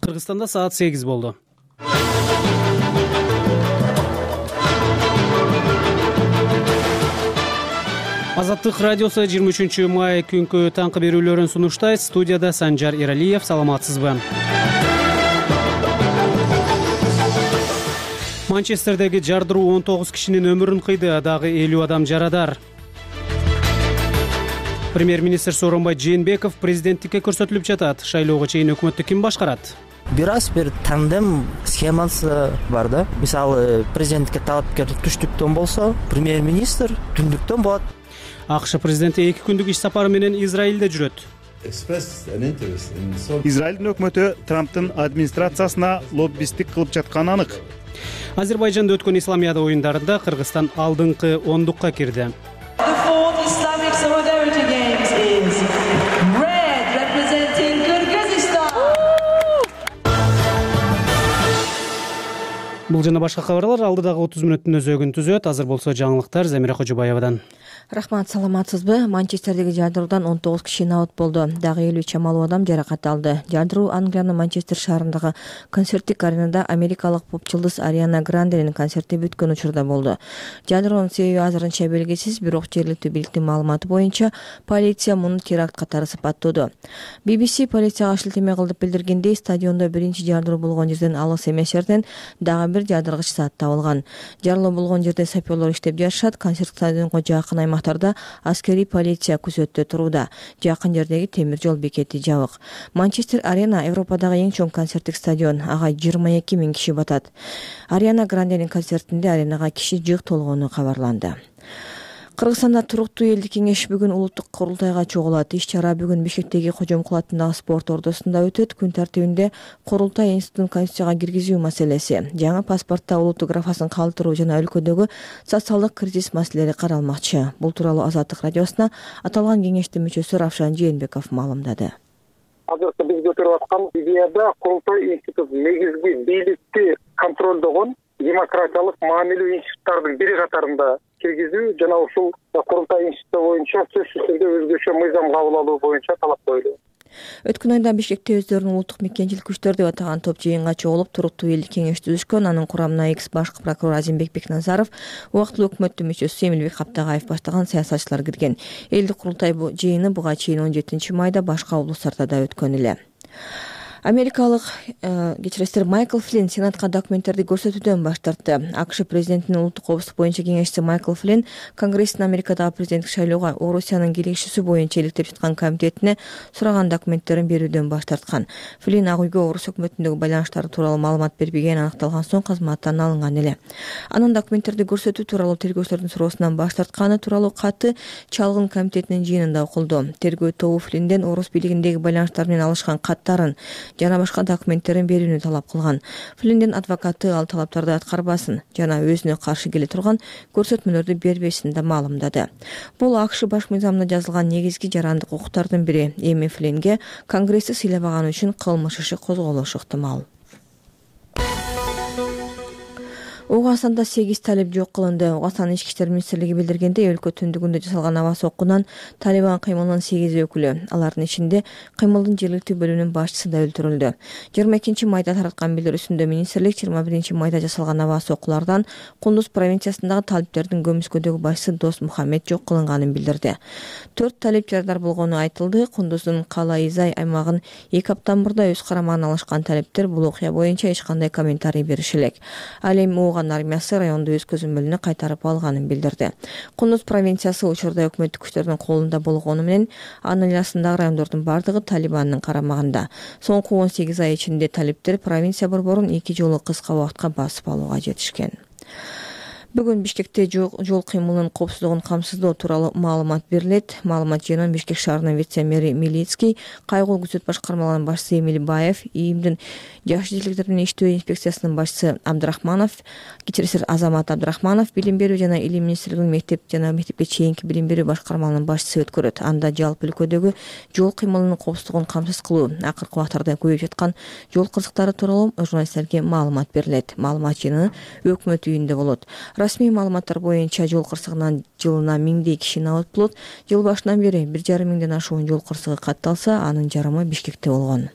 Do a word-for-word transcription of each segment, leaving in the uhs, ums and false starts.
Кыргызстанда саат сегиз болду. Азаттык радиосу жыйырма үчүнчү май күнкү таңкы берүүлөрүн сунуштайт. Студияда Санжар Иралиев. Саламатсызбы? Манчестердеги жардыруу он тогуз кишинин өмүрүн кыйды, дагы элүү адам жарадар. Премьер-министр Сооронбай Жээнбеков президенттикке көрсөтүлүп жатат. Шайлоого чейин өкмөттү ким башкарат? Бир аз бир тандем схемасы бар да. Мисалы, президенттикке талапкер түштүктөн болсо, премьер-министр түндүктөн болот. АКШ президенти эки күндүк иш сапары менен Израилде жүрөт. Израилдин өкмөтү Трамптын администрациясына лоббисттик кылып жатканы анык. Азербайжанда өткөн исламиада оюндарында Кыргызстан алдыңкы ондукка кирди. Бул жана башка кабарлар алдыдагы отуз мүнөттүн өзөгүн түзөт. Азыр болсо жаңылыктар Замира Кожобаевадан. Рахмат, саламатсызбы? Манчестердеги жардыруудан он тогуз киши абат болду. Дагы элүү чамалуу адам жаракат алды. Жардыруу Англиянын Манчестер шаарындагы концерттик аренада америкалык поп-жылдыз Ариана Гранденин концерти бүткөн учурда болду. Жардыруунун себеби азырынча белгисиз, бирок жергиликтүү бийликтин маалыматы боюнча полиция муну теракт катары сыпаттоодо. би би си полицияга шилтеме кылып билдиргендей, стадиондо биринчи жардыруу болгон жерден алыс эмес жерден дагы бир жардыргыч зат табылган. Жарылуу болгон жерде саперлор иштеп жатышат. Концерт стадионго жакын аймактарда аскерий полиция күзөттө турууда. Жакын жердеги темир жол бекети жабык. Манчестер Арена Европадагы эң чоң концерттик стадион. Ага жыйырма эки миң киши батат. Ариана Гранденин концертинде аренага киши жык толгону кабарланды. Кыргызстанда туруктуу элдик кеңеш бүгүн улуттук курултайга чогулат. Иш-чара бүгүн Бишкектеги Кожомкул атындагы спорт ордосунда өтөт. Күн тартибинде курултай институтун конституцияга киргизүү маселеси, жаңы паспортто улуттук графасын калтыруу жана өлкөдөгү социалдык кризис маселелери каралмакчы. Бул тууралуу Азаттык радиосуна аталган кеңештин мүчөсү Равшан Жээнбеков маалымдады. Азыркы биз көтөрүп аткан идеяда курултай институт негизги бийликти контролдогон демократиялык мамиле институттардын бири катарында киргизүү жана ушул курултай институту боюнча сөзсүз түрдө өзгөчө мыйзам кабыл алуу боюнча талап коюлду. Өткөн айда Бишкекте өздөрүнүн улуттук мекенчилик күчтөр деп атаган топ жыйынга чогулуп туруктуу элдик кеңеш түзүшкөн. Анын курамына экс баш прокурор Азимбек Бекназаров, убактылуу өкмөттүн мүчөсү Эмилбек Каптагаев баштаган саясатчылар кирген. Элдик курултай жыйыны буга чейин он жетинчи майда башка облустарда да өткөн эле. Америкалык кечиресиздер Майкл Флинн Сенатка документтерди көрсөтүүдөн баш тартты. АКШ президентинин улуттук коопсуздук боюнча кеңешчиси Майкл Флинн Конгресстин Америкадагы президенттик шайлоого Орусиянын келишүүсү боюнча иликтеп жаткан комитетине сураган документтерин берүүдөн баш тарткан. Флинн Ак үйгө Орус өкмөтүндөгү байланыштары тууралуу маалымат бербегени аныкталган соң кызматтан алынган эле. Анын документтерди көрсөтүү тууралуу тергөөчүлөрдүн суроосунан баш тартканы тууралуу каты чалгын комитетинин жыйынында окулду. Тергөө тобу Флиннден Орус бийлигиндеги байланыштар менен алышкан каттарын жана башка документтерин берүүнү талап кылган. Флинндин адвокаты ал талаптарды аткарбасын жана өзүнө каршы келе турган көрсөтмөлөрдү бербесин да маалымдады. Бул АКШ баш мыйзамында жазылган негизги жарандык укуктардын бири. Эми Флиннге Конгрессти сыйлабаганы үчүн кылмыш иши козголушу ыктымал. Угандастанда сегиз талип жок кылынды. Угандастан ички иштер министрлиги билдиргендей, өлкө түндүгүндө жасалган аба соккунан Талибан кыймылынын сегиз өкүлү, алардын ичинде кыймылдын жергиликтүү бөлүмүнүн башчысы да өлтүрүлдү. жыйырма экинчи майда тараткан билдирүүсүндө министрлик жыйырма биринчи майда жасалган аба соккулардан Кундуз провинциясындагы талиптердин көмүскөдөгү башчысы Дос Мухаммед жок кылынганын билдирди. Төрт талип жарадар болгону айтылды. Кундуздун Кала-Изай аймагын эки аптан мурда өз карамагына алышкан талиптер бул окуя боюнча эч кандай комментарий бериши элек. Ал эми армиясы райондо өз көзөмөлүнө кайтарып алганын билдирди. Кундуз провинциясы учурда өкмөттүк күчтөрдүн колунда болгону менен анын айласындагы райондордун бардыгы Талибандын карамагында. Соңку он сегиз ай ичинде талиптер провинция борборун эки жолу кыска убакытка басып алууга жетишкен. Бүгүн Бишкекте жол кыймылынын коопсуздугун камсыздоо тууралуу маалымат берилет. Маалымат жыйынын Бишкек шаарынын вице-мэри Милицкий, кайгылуу күзөт башкармаларынын башчысы Эмил Баев, ИИМдин жаш желектердер менен иштөө инспекциясынын башчысы Абдрахманов, кечиресиз Азамат Абдрахманов, билим берүү жана илим министрлигинин мектеп жана мектепке чейинки билим берүү башкармаларынын башчысы өткөрөт. Анда жалпы өлкөдөгү жол кыймылынын коопсуздугун камсыз кылуу, акыркы убактарда көбөйүп жаткан жол кырсыктары тууралуу журналисттерге маалымат берилет. Маалымат жыйыны өкмөт үйүндө болот. Расмий маалыматтар боюнча жол кырсыгынан жылына миңдей киши абат болот. Жыл башынан бери бир жарым миңден ашуун жол кырсыгы катталса, анын жарымы Бишкекте болгон.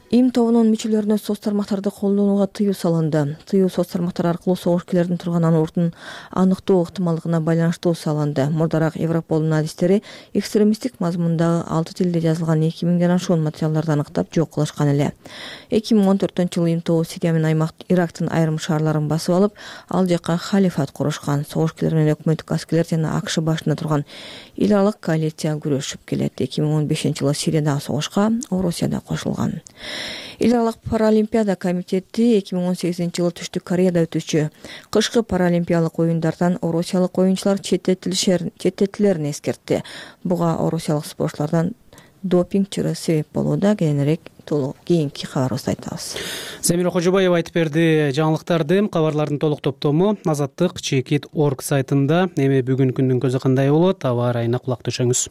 Им тобунун мүчөлөрүнө соц тармактарды колдонууга тыюу салынды. Тыюу соц тармактар аркылуу согушкерлердин турган ордун аныктоо ыктымалдыгына байланыштуу салынды. Мурдараак Европолдун адистери экстремисттик мазмундагы алты тилде жазылган эки миңден ашуун материалдарды аныктап жок кылышкан эле. эки миң он төртүнчү жылы им тобу Сирия менен аймак Ирактын айрым шаарларын басып алып, ал жакка халифат курушкан. Согушкерлер менен өкмөттүк аскерлер жана АКШ башында турган эл аралык коалиция күрөшүп келет. эки миң он бешинчи жылы Сириядагы согушка Орусия да кошулган. Эл аралык паралимпиада комитети эки миң он сегизинчи жылы Түштүк Кореяда өтүүчү кышкы паралимпиялык оюндардан орусиялык оюнчулар четтетилерин эскертти. Буга орусиялык спортчулардан допинг чыры себеп болууда. Кийинирээк толук кийинки кабарыбызда айтабыз. Замира Кожобаева айтып берди жаңылыктарды. Кабарлардын толук топтому Азаттык чекит точка орг сайтында. Эми бүгүнкү күндүн көзү кандай болот? Аба ырайына кулак түшөңүз.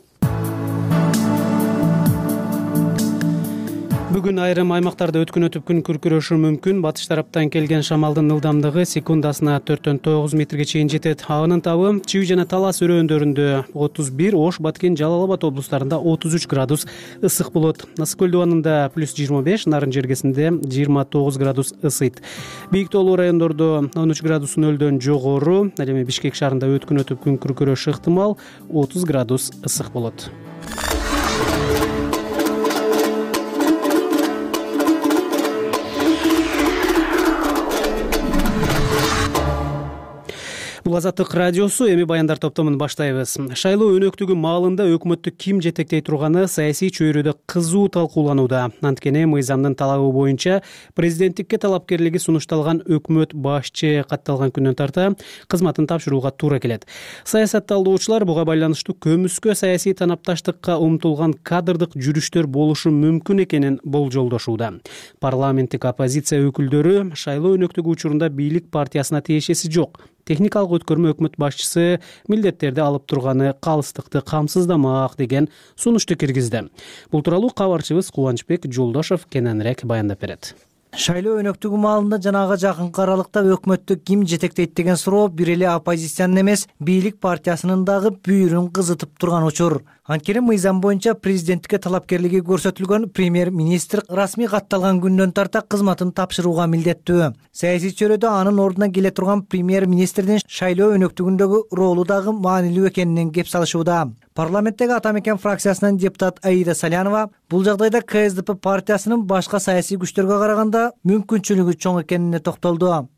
Бүгүн айрым аймактарда өткүнөтүп күн күркүрөшү мүмкүн. Батыш тараптан келген шамалдын ылдамдыгы секундасына төрттөн тогуз метрге чейин жетет. Агынын табы Чүй жана Талас өрөөндөрүндө отуз бир, Ош, Баткен, Жалал Абад облустарында отуз үч градус ысык болот. Ысык көл дубанында плюс жыйырма беш, Нарын жергесинде жыйырма тогуз градус ысыйт. Бийик тоолуу райондордо он үч градус нөлдөн жогору. Ал эми Бишкек шаарында өткүнөтүп күн күркүрөшү ыктымал, отуз градус ысык болот. Бул Азаттык радиосу. Эми баяндар топтомун баштайбыз. Шайлоо өнөктүгү маалында өкмөттү ким жетектей турганы саясий чөйрөдө кызуу талкууланууда. Анткени мыйзамдын талабы боюнча президенттикке талапкерлиги сунушталган өкмөт башчы катталган күндөн тарта кызматын тапшырууга туура келет. Саясатталдоочулар буга байланыштуу көмүскө саясий танапташтыкка умтулган кадрдык жүрүштөр болушу мүмкүн экенин болжолдошууда. Парламенттик оппозиция өкүлдөрү шайлоо өнөктүгү учурунда бийлик партиясына тиешеси жок. Техникалык өткөрмө өкмөт башчысы милдеттерди алып турганы калыстыкты камсыздамак деген сунушту киргизди. Бул тууралуу кабарчыбыз Кубанычбек Жолдошов кененирээк баяндап берет. Шайлоо өнөктүгү маалында жанага жакынкы аралыкта өкмөттү ким жетектейт деген суроо бир эле оппозициянын эмес, бийлик партиясынын дагы бүйүрүн кызытып турган учур. Анткени мыйзам боюнча президенттикке талапкерлиги көрсөтүлгөн премьер-министр расмий катталган күндөн тарта кызматын тапшырууга милдеттүү. Саясий чөйрөдө анын ордуна келе турган премьер-министрдин шайлоо өнөктүгүндөгү ролу дагы маанилүү экенинен кеп салышууда. Парламенттеги Ата мекен фракциясынын депутат Аида Салянова бул жагдайда ка эс дэ пэ партиясынын башка саясий күчтөргө караганда мүмкүнчүлүгү чоң экенине токтолду.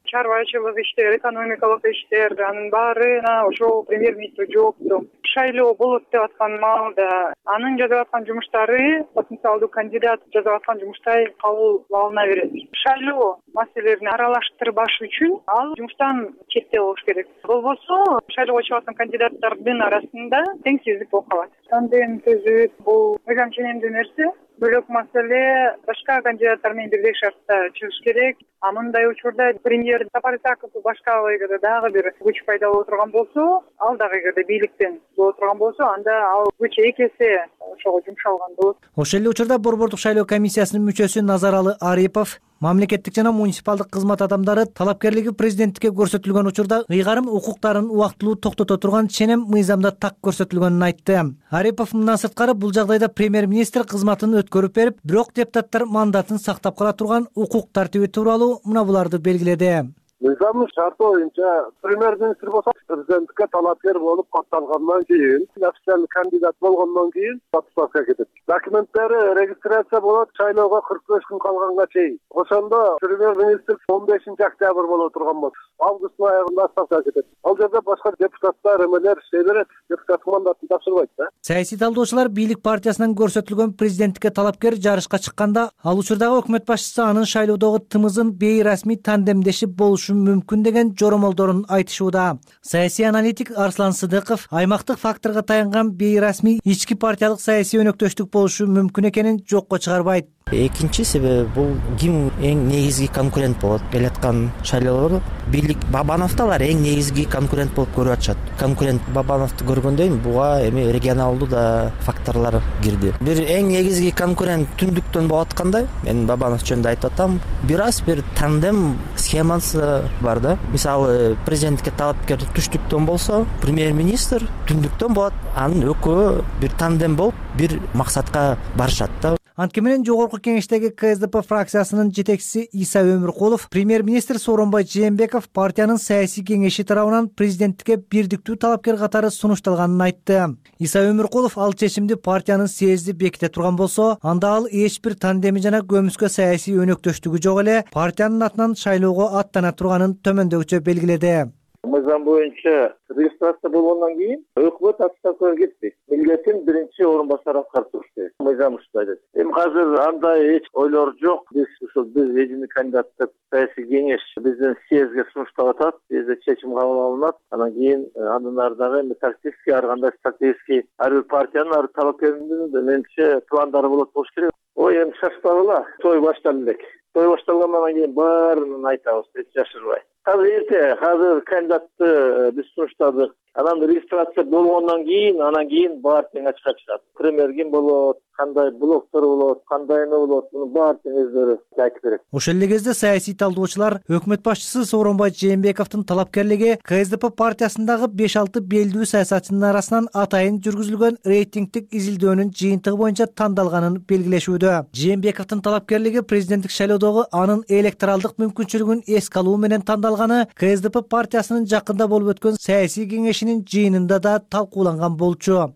Чарбачылык иштер, экономикалык иштер, анын баарына ошол премьер-министр жоопту. Шайлоо болот деп аткан маалда анын жасап аткан жумуштары потенциалдуу кандидат жасап аткан жумуштай кабыл алына берет. Шайлоо маселелерин аралаштырбаш үчүн ал жумуштан четте болуш керек. Болбосо шайлоого чыгып аткан кандидаттардын арасында теңсиздик болуп калат. Тандем түзүп бул мыйзам ченемдүү нерсе. Бөлөк маселе башка кандидаттар менен бирдей шартта чыгыш керек. А мындай учурда премьер Сапар Исаков башка эгерде дагы бир күч пайда боло турган болсо, ал дагы эгерде бийликтен боло турган болсо, анда ал күч эки эсе ошого жумшалган болот. Ошол эле учурда Борбордук шайлоо комиссиясынын мүчөсү Назаралы Арипов мамлекеттик жана муниципалдык кызмат адамдары талапкерлиги президенттикке көрсөтүлгөн учурда ыйгарым укуктарын убактылуу токтото турган ченем мыйзамда так көрсөтүлгөнүн айтты. Арипов мындан сырткары бул жагдайда премьер-министр кызматын өткөрүп берип, бирок депутаттар мандатын сактап кала турган укук тартиби тууралуу мына буларды белгиледи. Мыйзамдын шарты боюнча премьер-министр болсо президенттикке талапкер болуп катталгандан кийин, официалдуу кандидат болгондон кийин отставкага кетет. Документтери регистрация болот шайлоого кырк беш күн калганга чейин. Ошондо премьер-министр он бешинчи октябрь боло турган болот. Августтун аягында отставкага кетет. Ал жерде башка депутаттар, эмелер иштей берет, депутаттык мандатын тапшырбайт да. Саясий талдоочулар бийлик партиясынан көрсөтүлгөн президенттикке талапкер жарышка чыкканда, ал учурдагы өкмөт башчысы анын шайлоодогу тымызын бейрасмий тандемдешип болушу мүмкүн деген жоромолдорун айтышууда. Саясий аналитик Арслан Сыдыков аймактык факторго таянган бейрасмий ички партиялык саясий өнөктөштүк болушу мүмкүн экенин жокко чыгарбайт. Экинчи себеби бул ким эң негизги конкурент болот келаткан шайлоолордо. Бийлик Бабановду алар эң негизги конкурент болуп көрүп атышат. Конкурент Бабановду көргөндөн буга эми регионалдуу да факторлор кирди. Бир эң негизги конкурент түндүктөн болуп атканда, мен Бабанов жөнүндө айтып атам, бир аз бир тандем схемасы бар да. Мисалы, президенттикке талапкер түштүктөн болсо, премьер-министр түндүктөн болот. Анын экөө бир тандем болуп, бир максатка барышат да. Анткени менен жогорку кеңештеги КСДП фракциясынын жетекчиси Иса Өмүркулов премьер-министр Сооронбай Жээнбеков партиянын саясий кеңеши тарабынан президенттикке бирдиктүү талапкер катары сунушталганын айтты. Иса Өмүркулов ал чечимди партиянын съезди беките турган болсо, анда ал эч бир тандеми жана көмүскө саясий өнөктөштүгү жок эле партиянын атынан шайлоого аттана турганын төмөндөгүчө белгиледи. Мыйзам боюнча регистрация болгондон кийин өкмөт отставкага кетти. Милдетин биринчи орун басары аткарып турушты. Мыйзам ушундай айтат. Эми азыр андай эч ойлор жок. Биз ушул биз эжини кандидаттык саясий кеңеш биздин съездге сунуштап атат. Бизде чечим кабыл алынат. Анан кийин андан ары дагы эми тактический ар кандай стратегический ар бир партиянын ар талапкеринин менимче пландары болот болуш керек. Ой, эми шашпагыла. Той башталды элек. Той башталгандан кийин баарын айтабыз, эч жашырбай. Азыр эрте, азыр кандидатты биз сунуштадык. Анан регистрация болгондон кийин, анан кийин баары тең ачыкка чыгат. Премьер ким болот, кандай блоктор болот, кандай эме болот, муну баары тең өздөрү айтып берет. Ошол эле кезде саясий талдоочулар өкмөт башчысы Сооронбай Жээнбековдун талапкерлиги КСДП партиясындагы беш алты белдүү саясатчынын арасынан атайын жүргүзүлгөн рейтингдик изилдөөнүн жыйынтыгы боюнча тандалганын белгилешүүдө. Жээнбековдун талапкерлиги президенттик шайлоодогу анын электоралдык мүмкүнчүлүгүн эске алуу менен тандалганы КСДП партиясынын жакында болуп өткөн саясий кеңешинин жыйынында да талкууланган болчу.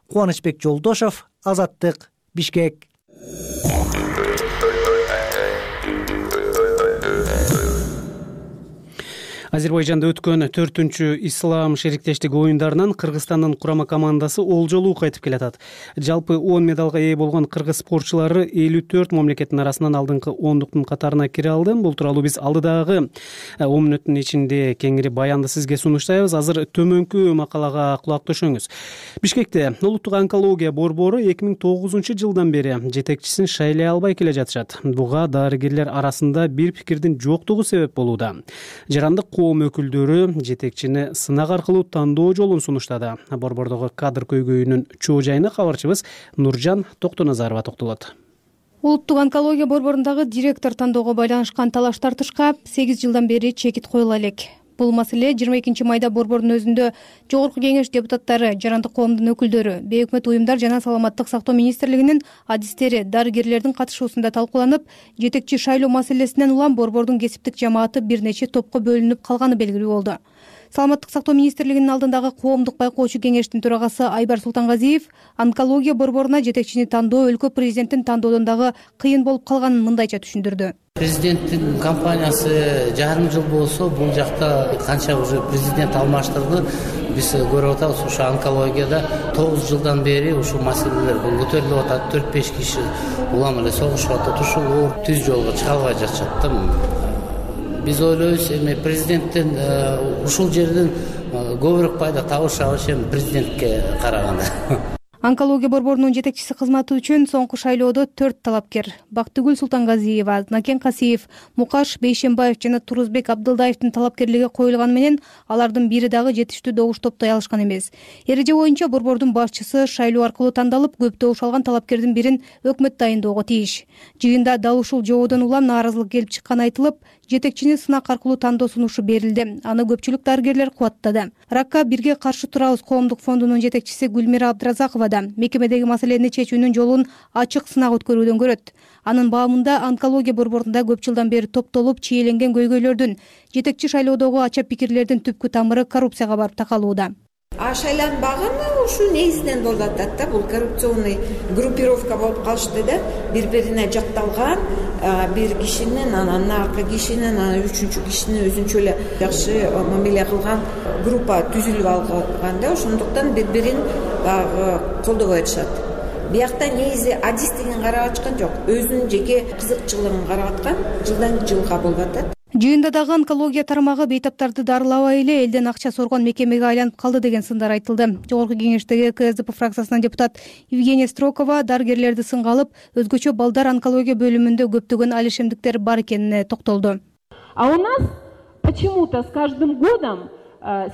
Кубанычбек Жолдошов, Азаттык, Бишкек. Азербайжанда өткөн төртүнчү ислам шериктештиги оюндарынан Кыргызстандын курама командасы олжолуу кайтып келатат. Жалпы он медалга ээ болгон кыргыз спортчулары элүү төрт мамлекеттин арасынан алдыңкы ондуктун катарына кире алды. Бул тууралуу биз алдыдагы он мүнөттүн ичинде кеңири баянды сизге сунуштайбыз. Азыр төмөнкү макалага кулак төшөңүз. Бишкекте улуттук онкология борбору эки миң тогузунчу жылдан бери жетекчисин шайлай албай келе жатышат. Буга дарыгерлер арасында бир пикирдин жоктугу себеп болууда. Жарандык коом өкүлдөрү жетекчини сынак аркылуу тандоо жолун сунуштады. Борбордогу кадр көйгөйүнүн чоо жайына кабарчыбыз Нуржан Токтоназарова токтолот. Улуттук онкология борборундагы директор тандоого байланышкан талаш тартышка сегиз жылдан бери чекит коюла элек. Бул маселе жыйырма экинчи майда борбордун өзүндө жогорку кеңеш депутаттары, жарандык коомдун өкүлдөрү, бейөкмөт уюмдар жана саламаттык сактоо министрлигинин адистери, дарыгерлердин катышуусунда талкууланып, жетекчи шайлоо маселесинен улам борбордун кесиптик жамааты бир нече топко бөлүнүп калганы белгилүү болду. Саламаттык сактоо министрлигинин алдындагы коомдук байкоочу кеңештин төрагасы Айбар Султангазиев онкология борборуна жетекчини тандоо өлкө президентин тандоодон дагы кыйын болуп калганын мындайча түшүндүрдү. Президенттин компаниясы жарым жыл болсо, бул жакта канча уже президент алмаштырды. Биз көрүп атабыз, ушу онкологияда тогуз жылдан бери ушул маселелер көтөрүлүп атат. төрт беш киши улам эле согушуп атат. Ушул оор түз жолго чыга албай жатышат да. Биз ойлойбуз, эми президенттен ушул жерден көбүрөөк пайда табышабыз эми президентке караганда. Онкология борборунун жетекчиси кызматы үчүн соңку шайлоодо төрт талапкер Бактыгүл Султангазиева, Накен Касиев, Мукаш Бейшембаев жана Турузбек Абдылдаевдин талапкерлиги коюлганы менен алардын бири дагы жетиштүү добуш топтой алышкан эмес. Эреже боюнча борбордун башчысы шайлоо аркылуу тандалып, көп добуш алган талапкердин бирин өкмөт дайындоого тийиш. Жыйында дал ушул жоодон улам нааразылык келип чыкканы айтылып, жетекчини сынак аркылуу тандоо сунушу берилди. Аны көпчүлүк дарыгерлер кубаттады. Ракка бирге каршы турабыз коомдук фондунун жетекчиси Гүлмира Абдыразакова да мекемедеги маселени чечүүнүн жолун ачык сынак өткөрүүдөн көрөт. Анын баамында онкология борборунда көп жылдан бери топтолуп чийеленген көйгөйлөрдүн, жетекчи шайлоодогу ача пикирлердин түпкү тамыры коррупцияга барып такалууда. А шайланбаганы ушу негизинен болуп атат да, бул коррупционный группировка болуп калышты да, бири-бирине жакталган бир кишинин, анан наркы кишинин, анан үчүнчү кишинин өзүнчө эле жакшы мамиле кылган группа түзүлүп алган да, ошондуктан бири-бирин баягы колдобой атышат. Биякта негизи адистигин карап ачкан жок, өзүнүн жеке кызыкчылыгын карап аткан, жылдан жылга болуп атат. Жыйында дагы онкология тармагы бейтаптарды дарылабай эле элден акча соргон мекемеге айланып калды деген сындар айтылды. Жогорку кеңештеги КСДП фракциясынан депутат Евгения Строкова дарыгерлерди сынга алып, өзгөчө балдар онкология бөлүмүндө көптөгөн алишемдиктер бар экенине токтолду. А у нас почему-то с каждым годом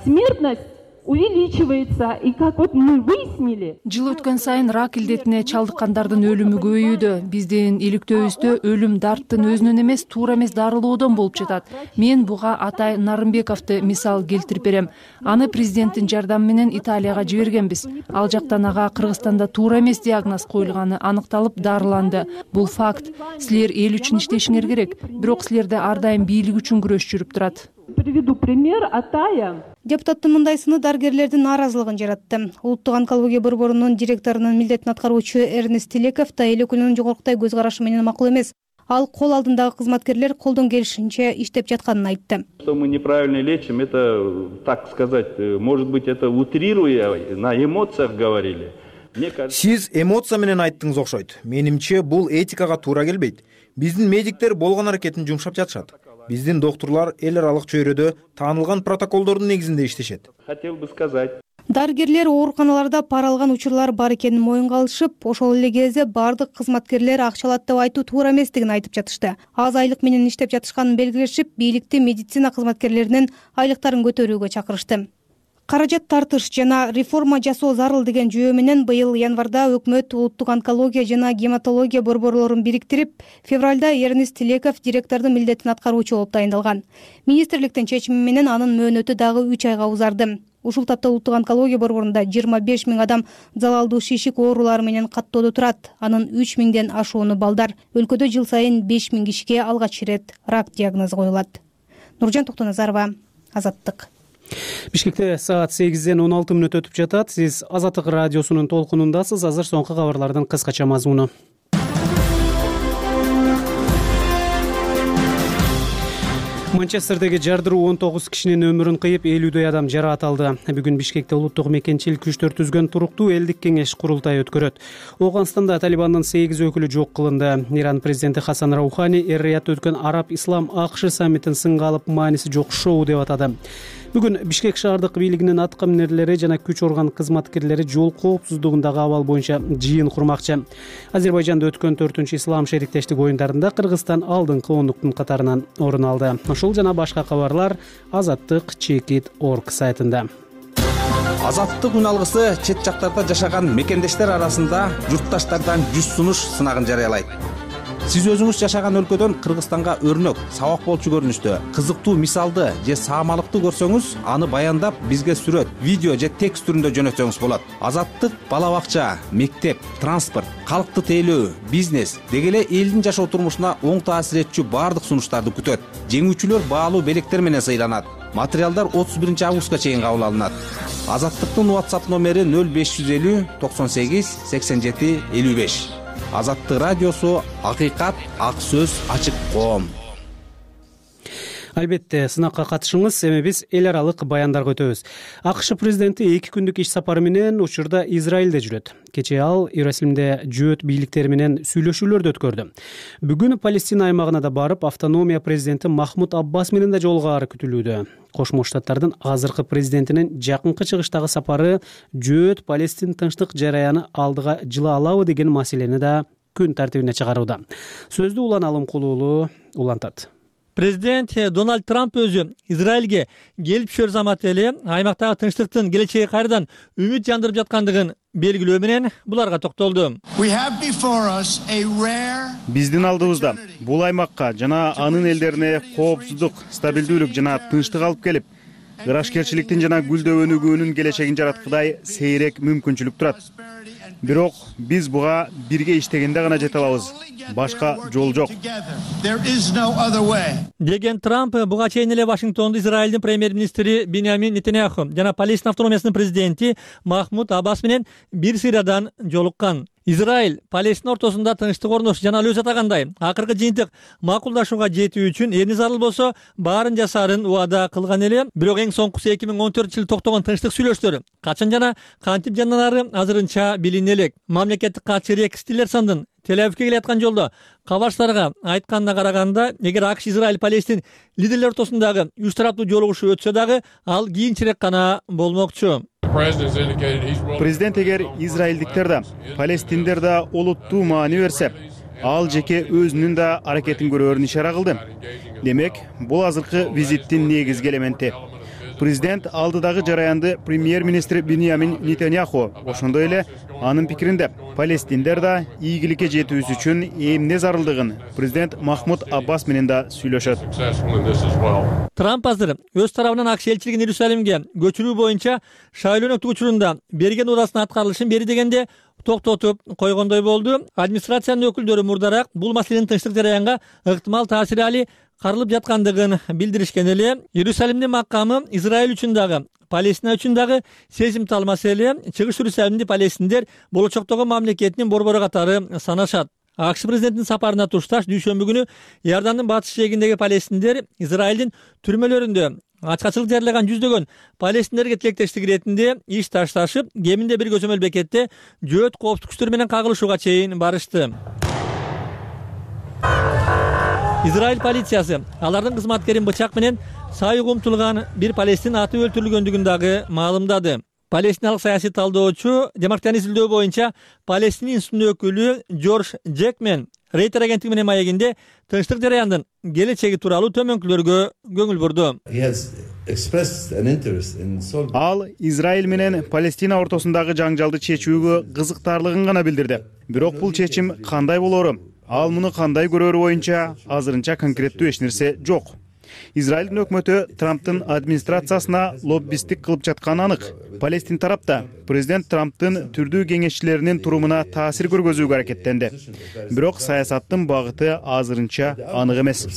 смертность увеличивается. И как вот мы выяснили, жыл өткөн сайын рак илдетине чалдыккандардын өлүмү көбөйүүдө. Биздин иликтөөбүздө өлүм дарттын өзүнөн эмес, туура эмес дарылоодон болуп жатат. Мен буга Атай Нарымбековду мисал келтирип берем. Аны президенттин жардамы менен Италияга жибергенбиз. Ал жактан ага Кыргызстанда туура эмес диагноз коюлганы аныкталып дарыланды. Бул факт. Силер эл үчүн иштешиңер керек. Бирок силерде ар дайым бийлик үчүн күрөш жүрүп турат. Приведу пример Атая. Депутаттын мындай сыны дарыгерлердин нааразылыгын жаратты. Улуттук онкология борборунун директорунун милдетин аткаруучу Эрнест Тилеков да эл өкүлүнүн жогоркутай көз карашы менен макул эмес. Ал кол алдындагы кызматкерлер колдон келишинче иштеп жатканын айтты. Что мы неправильно лечим, это, так сказать, может быть, это утрируя, на эмоциях говорили. Сиз эмоция менен айттыңыз окшойт. Менимче бул этикага туура келбейт. Биздин медиктер болгон аракетин жумшап жатышат. Биздин доктурлар эл аралык чөйрөдө таанылган протоколдордун негизинде иштешет. Хотел бы сказать. Дарыгерлер ооруканаларда пара алган учурлар бар экенин моюнга алышып, ошол эле кезде бардык кызматкерлер акча алат деп айтуу туура эместигин айтып жатышты. Аз айлык менен иштеп жатышканын белгилешип, бийликти медицина кызматкерлеринин айлыктарын көтөрүүгө чакырышты. Каражат тартыш жана реформа жасоо зарыл деген жүйө менен быйыл январда өкмөт улуттук онкология жана гематология борборлорун бириктирип, февралда Эрнест Тилеков директордун милдетин аткаруучу болуп тайындалган. Министрликтин чечими менен анын мөөнөтү дагы үч айга узарды. Ушул тапта улуттук онкология борборунда жыйырма беш миң адам залалдуу шишик оорулары менен каттоодо турат. Анын үч миңден ашууну балдар. Өлкөдө жыл сайын беш миң кишиге алгач ирет рак диагнозу коюлат. Нуржан Токтоназарова, Азаттык. Бишкекте саат сегизден он алты мүнөт өтүп жатат. Сиз Азаттык радиосунун толкунундасыз. Азыр соңку кабарлардын кыскача мазмуну. Манчестердеги жардыруу он тогуз кишинин өмүрүн кыйып, элүүдөй адам жараат алды. Бүгүн Бишкекте улуттук мекенчилик күчтөр түзгөн туруктуу элдик кеңеш курултайы өткөрөт. Оогунстанда Талибандын сегиз өкүлү жок кылынды. Иран президенти Хасан Раухани эр-Риядда өткөн Араб Ислам АКШ саммитин сынга алып, мааниси жок шоу деп атады. Бүгүн Бишкек шаардык бийлигинин атка минерлери жана күч орган кызматкерлери жол коопсуздугундагы абал боюнча жыйын курмакчы. Азербайжанда өткөн төртүнчү ислам шериктештик оюндарында Кыргызстан алдыңкы ондуктун катарынан орун алды. Ушул жана башка кабарлар Азаттык чекит точка орг сайтында. Азаттык үн алгысы чет жактарда жашаган мекендештер арасында журтташтардан жүз сунуш сынагын жарыялайт. Сиз өзүңүз жашаган өлкөдөн Кыргызстанга өрнөк, сабак болчу көрүнүштө, кызыктуу мисалды же саамалыкты көрсөңүз, аны баяндап, бизге сүрөт, видео же текст түрүндө жөнөтсөңүз болот. Азаттык бала бакча, мектеп, транспорт, калкты тейлөө, бизнес деги эле элдин жашоо турмушуна оң таасир этчү баардык сунуштарды күтөт. Жеңүүчүлөр баалуу белектер менен сыйланат. Материалдар отуз биринчи августка чейин кабыл алынат. Азаттыктын WhatsApp номери нөл беш жүз элүү токсон сегиз сексен жети элүү беш. Азаттык радиосу, акыйкат, ак сөз, ачык коом. Албетте, сынакка катышыңыз, эми биз эл аралык баяндарга өтөбүз. АКШ президенти эки күндүк иш сапары менен учурда Израилде жүрөт. Кечээ ал Иерусалимде жөөт бийликтери менен сүйлөшүүлөрдү өткөрдү. Бүгүн Палестина аймагына да барып, автономия президенти Махмуд Аббас менен да жолугаары күтүлүүдө. Кошмо Штаттардын азыркы президентинин жакынкы чыгыштагы сапары жөөт Палестин тынчтык жараяны алдыга жыла алабы деген маселени да күн тартибине чыгарууда. Сөздү Улан Алымкулуулу улантат. Президент Дональд Трамп өзү Израилге келип түшөр замат эле аймактагы тынчтыктын келечеги кайрадан үмүт жандырып жаткандыгын белгилөө менен буларга токтолду. Биздин алдыбызда бул аймакка жана анын элдерине коопсуздук, стабилдүүлүк жана тынчтык алып келип, ырашкерчиликтин жана гүлдөө өнүгүүнүн келечегин жараткыдай сейрек мүмкүнчүлүк турат. Бирок биз буга бирге иштегенде гана жете алабыз. Башка жол жок. Деген Трамп буга чейин эле Вашингтондо Израилдин премьер-министри Биньямин Нетаньяху жана Палестина автономиясынын президенти Махмуд Аббас менен бир сыйрадан жолуккан. Израиль Палестина ортосунда тынчтык орношу жана ал өзү атагандай акыркы жыйынтык макулдашууга жетүү үчүн эмне зарыл болсо баарын жасаарын убада кылган эле. Бирок эң соңкусу эки миң он төртүнчү жылы токтогон тынчтык сүйлөшүүлөр качан жана кантип жанданары азырынча билине элек. Мамлекеттик катчы Рекс Тиллерсондун Тель-Авивге келаткан жолдо кабарчыларга айтканына караганда, эгер АКШ Израиль Палестин лидерлер ортосундагы үч тараптуу жолугушуу өтсө дагы, ал кийинчерээк гана болмокчу. Президент эгер израилдиктер да, палестиндер да олуттуу маани берсе, ал жеке өзүнүн да аракетин көрөөрүн ишара кылды. Демек, бул азыркы визиттин негизги элементи. Президент алдыдагы жараянды премьер-министр Биньямин Нетаньяху ошондой эле анын пикиринде палестиндер да ийгиликке жетүүсү үчүн эмне зарылдыгын президент Махмуд Аббас менен да сүйлөшөт. Трамп азыр өз тарабынан АКШ элчилигин Иерусалимге көчүрүү боюнча шайлоо өнөктүк учурунда берген уурасынын аткарылышын бери дегенде токтотуп койгондой болду. Администрациянын өкүлдөрү мурдараак бул маселенин тынчтык жараянга ыктымал таасири али карылып жаткандыгын билдиришкен эле. Иерусалимдин макамы Израиль үчүн дагы, Палестина үчүн дагы сезимтал маселе. Чыгыш Иерусалимди палестиндер болочоктогу мамлекетинин борбору катары санашат. АКШ президентинин сапарына тушташ дүйшөмбү күнү Иордандын батыш жээгиндеги палестиндер Израилдин түрмөлөрүндө ачкачылык жарыяган жүздөгөн палестиндерге тилектештик иретинде иш ташташып, кеминде бир көзөмөл бекетте жөөт коопсуздук күчтөрү менен кагылышууга чейин барышты. Израиль полициясы алардын кызматкерин бычак менен сайык умтулган бир палестин аты өлтүрүлгөндүгүн дагы маалымдады. Палестиналык саясий талдоочу Демократияны изилдөө боюнча Палестина институтунун өкүлү Джордж Джекмен Рейтер агенттиги менен маегинде тынчтык жараяндын келечеги тууралуу төмөнкүлөргө көңүл бурду. Ал Израиль менен Палестина ортосундагы жаңжалды чечүүгө кызыктарлыгын гана билдирди. Бирок бул чечим кандай болору, ал муну кандай көрөрү боюнча азырынча конкреттүү эч нерсе жок. Израилдин өкмөтү Трамптын администрациясына лоббисттик кылып жатканы анык. Палестин тарапта президент Трамптын түрдүү кеңешчилеринин турумуна таасир көргөзүүгө аракеттенди. Бирок саясаттын багыты азырынча анык эмес.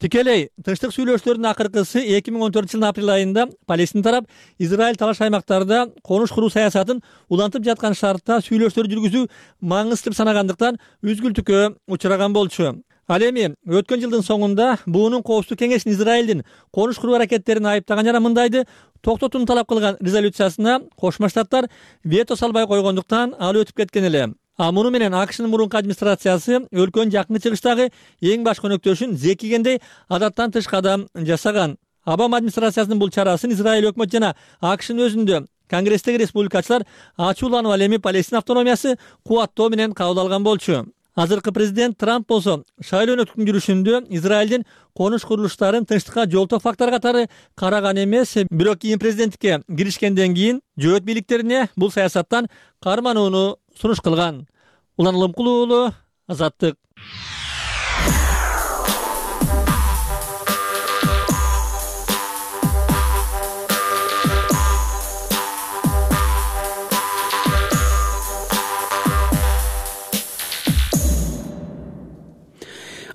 Тикелей тынчтык сүйлөшүүлөрдүн акыркысы эки миң он төртүнчү жылдын апрель айында Палестин тарап Израиль талаш аймактарда конуш куруу саясатын улантып жаткан шартта сүйлөшүүлөр жүргүзүү маңызды деп санагандыктан үзгүлтүккө учураган болчу. Ал эми өткөн жылдын соңунда буунун коопсуздук кеңешинин Израилдин конуш куруу аракеттерин айыптаган жана мындайды токтотууну талап кылган резолюциясына Кошмо Штаттар вето салбай койгондуктан ал өтүп кеткен эле. А муну менен АКШнын мурунку администрациясы өлкөнүн жакынкы чыгыштагы эң баш көнөктөшүн зекигендей адаттан тыш кадам жасаган. Обама администрациясынын бул чарасын Израиль өкмөтү жана АКШнын өзүндө Конгресстеги республикачылар ачууланып, ал эми Палестина автономиясы кубаттоо менен кабыл алган болчу. Азыркы президент Трамп болсо шайлоо өнөктүктүн жүрүшүндө Израилдин конуш курулуштарын тынчтыкка жолтоо фактор катары караган эмес. Бирок кийин президенттикке киришкенден кийин жөөт бийликтерине бул саясаттан карманууну сунуш кылган. Улан Улумкулуу уулу, Азаттык.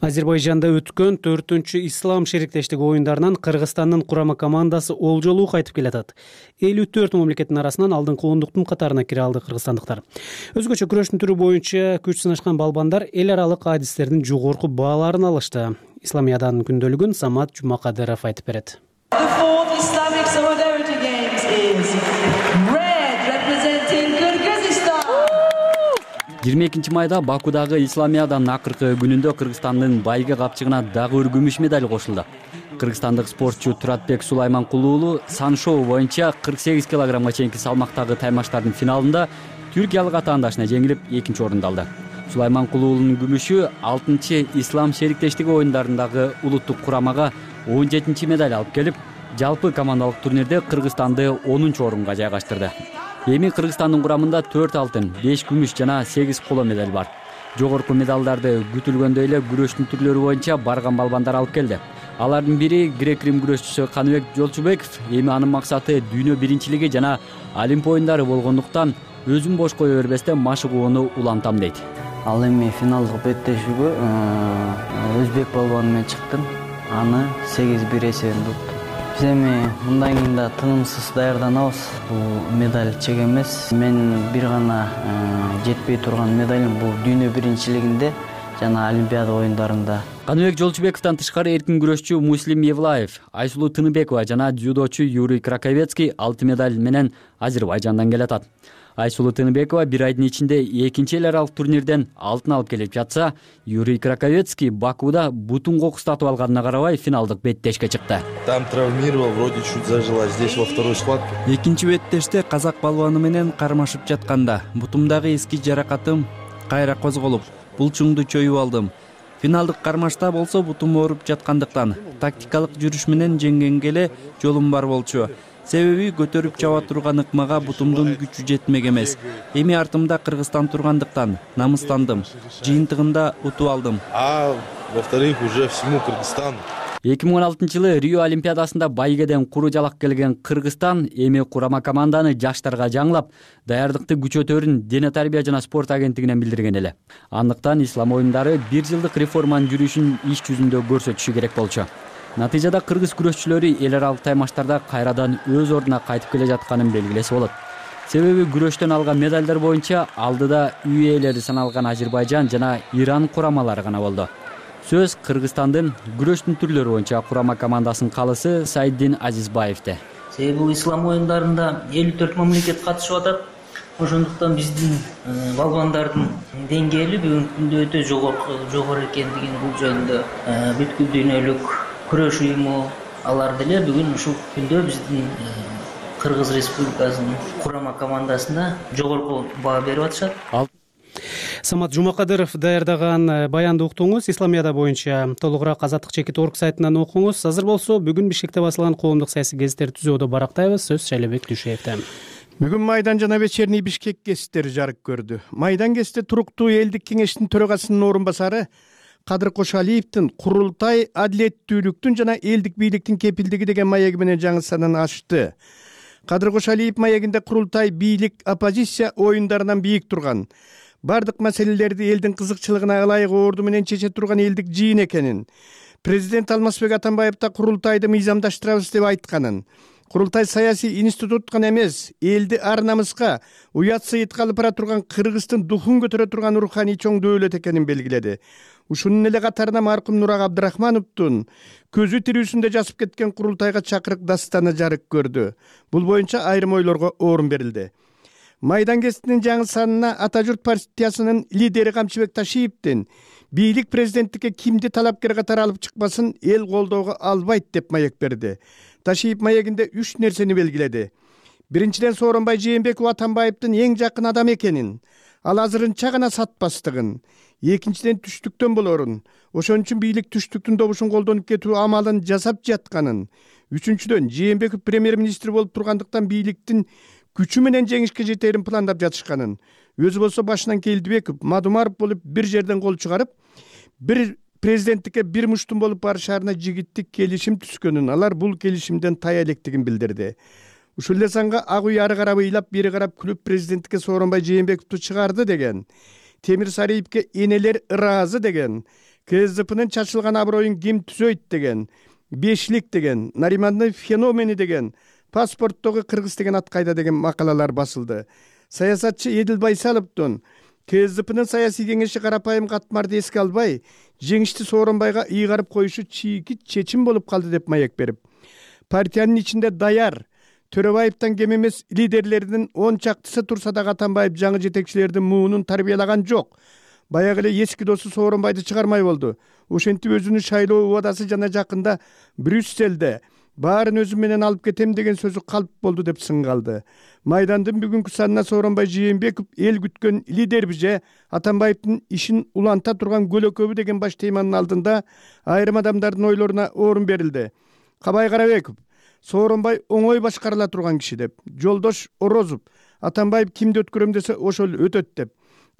Азербайжанда өткөн төртүнчү ислам шериктештиги оюндарынан Кыргызстандын курама командасы олжолуу кайтып келатат. элүү төрт мамлекеттин арасынан алдыңкы ондуктун катарына кире алды кыргызстандыктар. Өзгөчө күрөштүн түрү боюнча күч сынашкан балбандар эл аралык адистердин жогорку бааларын алышты. Исламиядан күндөлүгүн Самат Жумакадыров айтып берет. жыйырма экинчи майда Бакудагы Исламияданын акыркы күнүндө Кыргызстандын байга капчыгына дагы бир күмүш медаль кошулду. Кыргызстандык спортчу Туратбек Сулайманкулуу уулу саншоу боюнча кырк сегиз килограммга чейинки салмактагы таймаштардын финалында түркиялык атаандашына жеңилип экинчи орунду алды. Сулайманкулуу уулунун күмүшү алтынчы ислам шериктештиги оюндарындагы улуттук курамага он жетинчи медаль алып келип, жалпы командалык турнирде Кыргызстанды онунчу орунга жайгаштырды. Эми Кыргызстандын курамында төрт алтын, беш күмүш жана сегиз коло медаль бар. Жогорку медалдарды күтүлгөндөй эле күрөштүн түрлөрү боюнча барган балбандар алып келди. Алардын бири грек-рим күрөшчүсү Каныбек Жолчубеков. Эми анын максаты дүйнө биринчилиги жана Олимп оюндары болгондуктан өзүн бош кое бербестен машыгууну улантам дейт. Ал эми финалдык беттешүүгө өзбек балбаны менен чыктым. Аны сегиз бир эсебинде уттум. Биз эми мындан кийин да тынымсыз даярданабыз. Бул медаль чек эмес. Мен бир гана жетпей турган медалим бул дүйнө биринчилигинде жана Олимпиада оюндарында. Каныбек Жолчубековдон тышкары эркин күрөшчү Муслим Евлаев, Айсулуу Тыныбекова жана дзюдочу Юрий Краковецкий алты медаль менен Азербайжандан келатат. Айсулуу Тыныбекова бир айдын ичинде экинчи эл аралык турнирден алтын алып келип жатса, Юрий Краковецкий Бакуда бутун кокустатып алганына карабай финалдык беттешке чыкты. Там травмировал, вроде чуть зажила, здесь во второй схватке. Экинчи беттеште казак балбаны менен кармашып жатканда бутумдагы эски жаракатым кайра козголуп, булчуңду чоюп алдым. финалдык кармашта болсо бутум ооруп жаткандыктан тактикалык жүрүш менен жеңгенге эле жолум бар болчу. Себеби көтөрүп чаба турган ыкмага бутумдун күчү жетмек эмес. Эми артымда Кыргызстан тургандыктан намыстандым. Жыйынтыгында утуп алдым. А во-вторых, уже всему Кыргызстану. эки миң он алтынчы жылы Рио Олимпиадасында байгеден куру жалак келген Кыргызстан эми курама команданы жаштарга жаңылап, даярдыкты күчөтөрүн Дене тарбия жана спорт агенттигинен билдирген эле. Андыктан ислам оюндары бир жылдык реформанын жүрүшүн иш жүзүндө көрсөтүшү керек болчу. Натыйжада кыргыз күрөшчүлөрү эл аралык таймаштарда кайрадан өз ордуна кайтып келе жатканын белгилесе болот. Себеби күрөштөн алган медалдар боюнча алдыда үй ээлери саналган Азербайжан жана Иран курамалары гана болду. Сөз Кыргызстандын күрөштүн түрлөрү боюнча курама командасынын калысы Сайдин Азизбаевде. Себеби бул ислам оюндарында элүү төрт мамлекет катышып атат. Ошондуктан биздин балбандардын деңгээли бүгүнкү күндө өтө жогору экендигин бул жөнүндө бүткүл дүйнөлүк күрөш уюму алар деле бүгүн ушул күндө биздин Кыргыз Республикасынын курама командасына жогорку баа берип атышат. Самат Жумакадыров даярдаган баянды уктуңуз. Исламияда боюнча толугураак Азаттык чекит орг сайтынан окуңуз. Азыр болсо бүгүн Бишкекте басылган коомдук саясий гезиттерди түзүүдө барактайбыз. Сөз Шайлебек Дүйшеевде. Бүгүн Майдан жана Вечерний Бишкек гезиттери жарык көрдү. Майдан гезити туруктуу элдик кеңештин төрагасынын орун басары Кадыр Кошалиевдин курултай адилеттүүлүктүн жана элдик бийликтин кепилдиги деген маеги менен жаңы санын ачты. Кадыр Кошалиев маегинде курултай бийлик оппозиция оюндарынан бийик турган, бардык маселелерди элдин кызыкчылыгына ылайык орду менен чече турган элдик жыйын экенин, президент Алмазбек Атамбаев да курултайды мыйзамдаштырабыз деп айтканын, курултай саясий институт гана эмес, элди ар намыска уят сыйытка алып бара турган Кыргыздын духун көтөрө турган руханий чоң дөөлөт экенин белгиледи. Ушунун эле катарына маркум Нурак Абдрахмановдун көзү тирүүсүндө жазып кеткен курултайга чакырык дастаны жарык көрдү. Бул боюнча айрым ойлорго орун берилди. Майдан гезитинин жаңы санына Ата журт партиясынын лидери Камчыбек Ташиевдин бийлик президенттикке кимди талапкер катары алып чыкпасын эл колдоого албайт деп маек берди. Ташиев маегинде үч нерсени белгиледи. Биринчиден, Сооронбай Жээнбеков Атамбаевдин эң жакын адам экенин, ал азырынча гана сатпастыгын. Экинчиден, түштүктөн болорун, ошон үчүн бийлик түштүктүн добушун колдонуп кетүү амалын жасап жатканын. Үчүнчүдөн, Жээнбеков премьер-министр болуп тургандыктан бийликтин күчү менен жеңишке жетерин пландап жатышканын. Өзү болсо башынан Келдибеков, Мадумаров болуп бир жерден кол чыгарып, бир президенттикке бир муштум болуп барышарына жигиттик келишим түзгөнүн, алар бул келишимден тая электигин билдирди. Ушул эле санга ак үй ары карап ыйлап, бери карап күлүп президенттикке Сооронбай Жээнбековду чыгарды деген, Темир Сариевке энелер ыраазы деген, КСДПнын чачылган аброюн ким түзөйт деген, бешлик деген, Наримандын феномени деген, паспорттогу кыргыз деген ат кайда деген макалалар басылды. Саясатчы Эдил Байсаловдун КСДПнын саясий кеңеши карапайым катмарды эске албай, жеңишти Сооронбайга ыйгарып коюшу чийки чечим болуп калды деп маек берип, партиянын ичинде даяр Төрөбаевден кем эмес лидерлердин он чактысы турса да Атамбаев жаңы жетекчилердин муунун тарбиялаган жок. Баягы эле эски досу Сооронбайды чыгармай болду. Ошентип өзүнүн шайлоо убадасы жана жакында Брюсселде баарын өзүм менен алып кетем деген сөзү калп болду деп сынгалды. Майдандын бүгүнкү санына Сооронбай Жээнбеков эл күткөн лидерби же Атамбаевдин ишин уланта турган көлөкөбү деген баш теманын алдында айрым адамдардын ойлоруна орун берилди. Кабай Карабеков Сооронбай оңой башкарыла турган киши деп, Жолдош Орозов Атамбаев кимди өткөрөм десе ошол өтөт деп,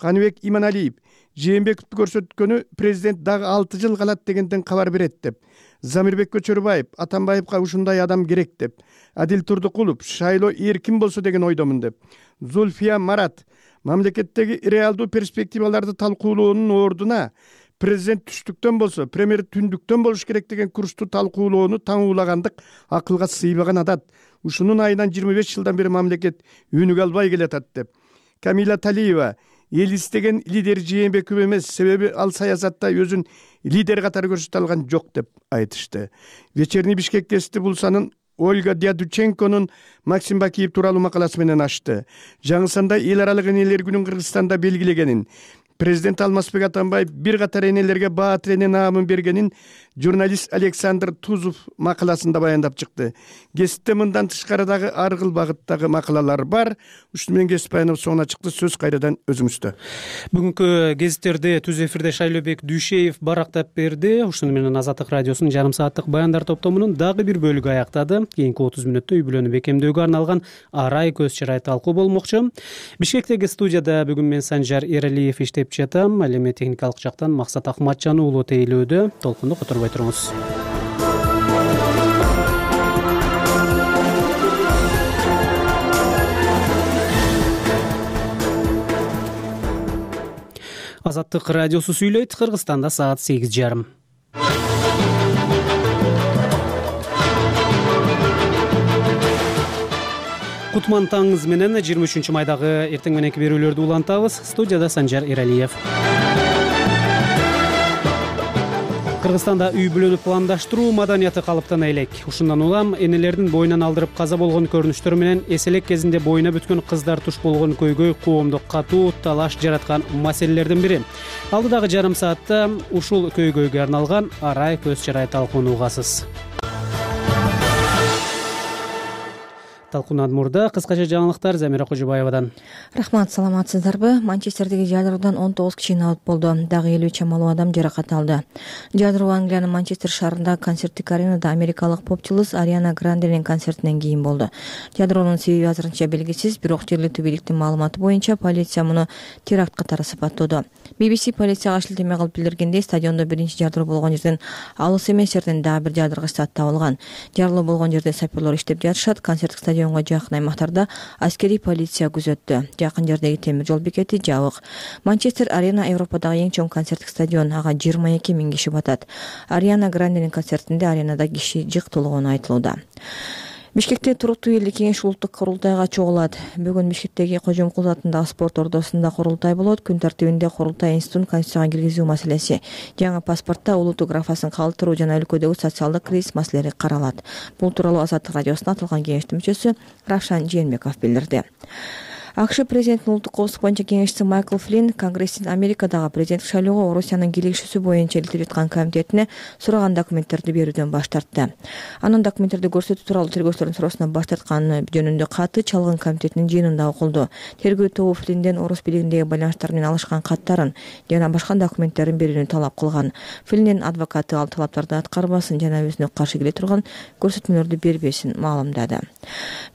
Каныбек Иманалиев Жээнбековду көрсөткөнү президент дагы алты жыл калат дегенден кабар берет деп, Замирбек Көчөрбаев Атамбаевга ушундай адам керек деп, Адил Турдукулов шайлоо эркин болсо деген ойдомун деп, Зульфия Марат мамлекеттеги реалдуу перспективаларды талкуулоонун ордуна президент түштүктөн болсо, премьер түндүктөн болуш керек деген курсту талкуулоону таңуулагандык акылга сыйбаган адат. Ушунун айынан жыйырма беш жылдан бери мамлекет өнүгө албай келатат деп. Камила Талиева эл истеген лидер Жээнбеков эмес, себеби ал саясатта өзүн лидер катары көрсөтө алган жок деп айтышты. Вечерний Бишкек гезити бул санын Ольга Дядученконун Максим Бакиев тууралуу макаласы менен ачты. Жаңы санда эл аралык энелер күнүн Кыргызстанда белгилегенин, Президент Алмазбек Атамбаев бир катар энелерге баа тилене наамын бергенин журналист Александр Тузов макаласында баяндап чыкты. Гезитте мындан тышкары дагы ар кыл багыттагы макалалар бар. Ушуну менен кесип баяндап соңуна чыкты. Сөз кайрадан өзүңүздө. Бүгүнкү гезиттерди түз эфирде Шайлообек Дүйшеев барактап берди. Ушуну менен Азаттык радиосунун жарым сааттык баяндар топтомунун дагы бир бөлүгү аяктады. Кийинки отуз мүнөттө үй бүлөнү бекемдөөгө арналган арай көз чырай талкуу болмокчу. Бишкектеги студияда бүгүн мен Санжар Эралиев иштеп жатам. Ал эми техникалык жактан Максат Акматжан уулу тейлөөдө. Толкунду которбой туруңуз. Азаттык радиосу сүйлөйт. Кыргызстанда саат сегиз жарым. Кутман таңыңыз менен жыйырма үчүнчү майдагы эртең мененки берүүлөрдү улантабыз. Студияда Санжар Эралиев. Кыргызстанда үй бүлөнү пландаштыруу маданияты калыптана элек. Ушундан улам энелердин боюнан алдырып каза болгон көрүнүштөр менен эселек кезинде боюна бүткөн кыздар туш болгон көйгөй коомдо катуу талаш жараткан маселелердин бири. Алдыдагы жарым саатта ушул көйгөйгө арналган арай көз чырай талкууну угасыз. Талкуунан мурда кыскача жаңылыктар Замира Кожобаевадан. Рахмат, саламатсыздарбы? Манчестердеги жадроодан он тогуз киши аборт болду. Дагы элүү чамалуу адам жаракат алды. Жадроо Англиянын Манчестер шаарындагы концерттик аренада америкалык поп-чулуз Ариана Гранделин концертинен кийин болду. Жадроонун себеби азырынча белгисиз, бирок жергиликтүү бийликтин маалыматы боюнча полиция муну теракт катары сыпаттоодо. би би си полицияга шилтеме кылып билдиргендей, стадиондо биринчи жадроо болгон жерден алыс эмес жерден дагы бир жадыргыч зат табылган. Жарлоо болгон жерде саперлор иштеп жатышат. Концерттик стадион жакын аймактарда аскерий полиция күзөттү. Жакын жердеги темир жол бекети жабык. Манчестер арена Европадагы эң чоң концерттик стадион. Ага жыйырма эки миң киши батат. Ариана Гранделин концертинде аренада киши жык толгону айтылууда. Бишкекте туруктуу элдик кеңеш улуттук курултайга чогулат. Бүгүн Бишкектеги Кожомкулов атындагы спорт ордосунда курултай болот. Күн тартибинде курултай институтун конституцияга киргизүү маселеси, жаңы паспортто улуттук графасын калтыруу жана өлкөдөгү социалдык кризис маселелери каралат. Бул тууралуу Азаттык радиосуна аталган кеңештин мүчөсү Равшан Жээнбеков билдирди. АКШ президентинин улуттук коопсуздук боюнча кеңешчиси Майкл Флинн Конгресстин Америкадагы президенттик шайлоого Орусиянын кийлигишүүсү боюнча иликтип жаткан комитетине сураган документтерди берүүдөн баш тартты. Анын документтерди көрсөтүү тууралуу тергөөчүлөрдүн суроосунан баш тартканы жөнүндө каты чалгын комитетинин жыйынында окулду. Тергөө тобу Флиннден орус бийлигиндеги байланыштар менен алышкан каттарын жана башка документтерин берүүнү талап кылган. Флинндин адвокаты ал талаптарды аткарбасын жана өзүнө каршы келе турган көрсөтмөлөрдү бербесин маалымдады.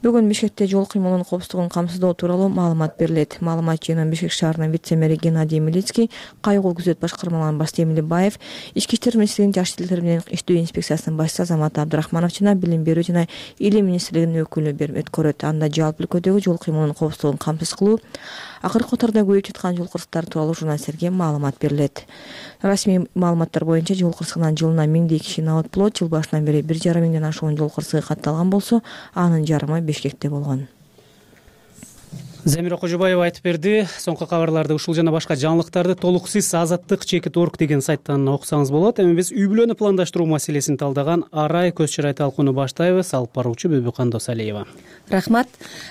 Бүгүн Бишкекте жол кыймылынын коопсуздугун камсыздоо тууралуу маалымат берилет. Маалымат жыйынын Бишкек шаарынын вице-мэри Геннадий Милицкий, кайгыл күзөт башкармаларынын башчысы Эмили Баев, Ички иштер министрлигинин жаш тилдер менен иштөө инспекциясынын башчысы Азамат Абдрахманов жана Билим берүү жана Илим министрлигинин өкүлү өткөрөт. Анда жалпы өлкөдөгү жол кыймылынын коопсуздугун камсыз кылуу, акыркы катарда көбөйүп жаткан жол кырсыктары тууралуу журналисттерге маалымат берилет. Расмий маалыматтар боюнча жол кырсыгынан жылына миңдей киши аборт болот. Жыл башынан бери бир жарым миңден ашуун жол кырсыгы катталган болсо, анын жарымы Бишкекте болгон. Замира Кожобаева айтып берди. Соңку кабарларды ушул жана башка жаңылыктарды толук сиз азаттык чекит орг деген сайттан окусаңыз болот. Эми биз үй бүлөнү пландаштыруу маселесин талдаган арай көз чырай талкууну баштайбыз. Алып баруучу Бүбүкан Досалиева. Рахмат.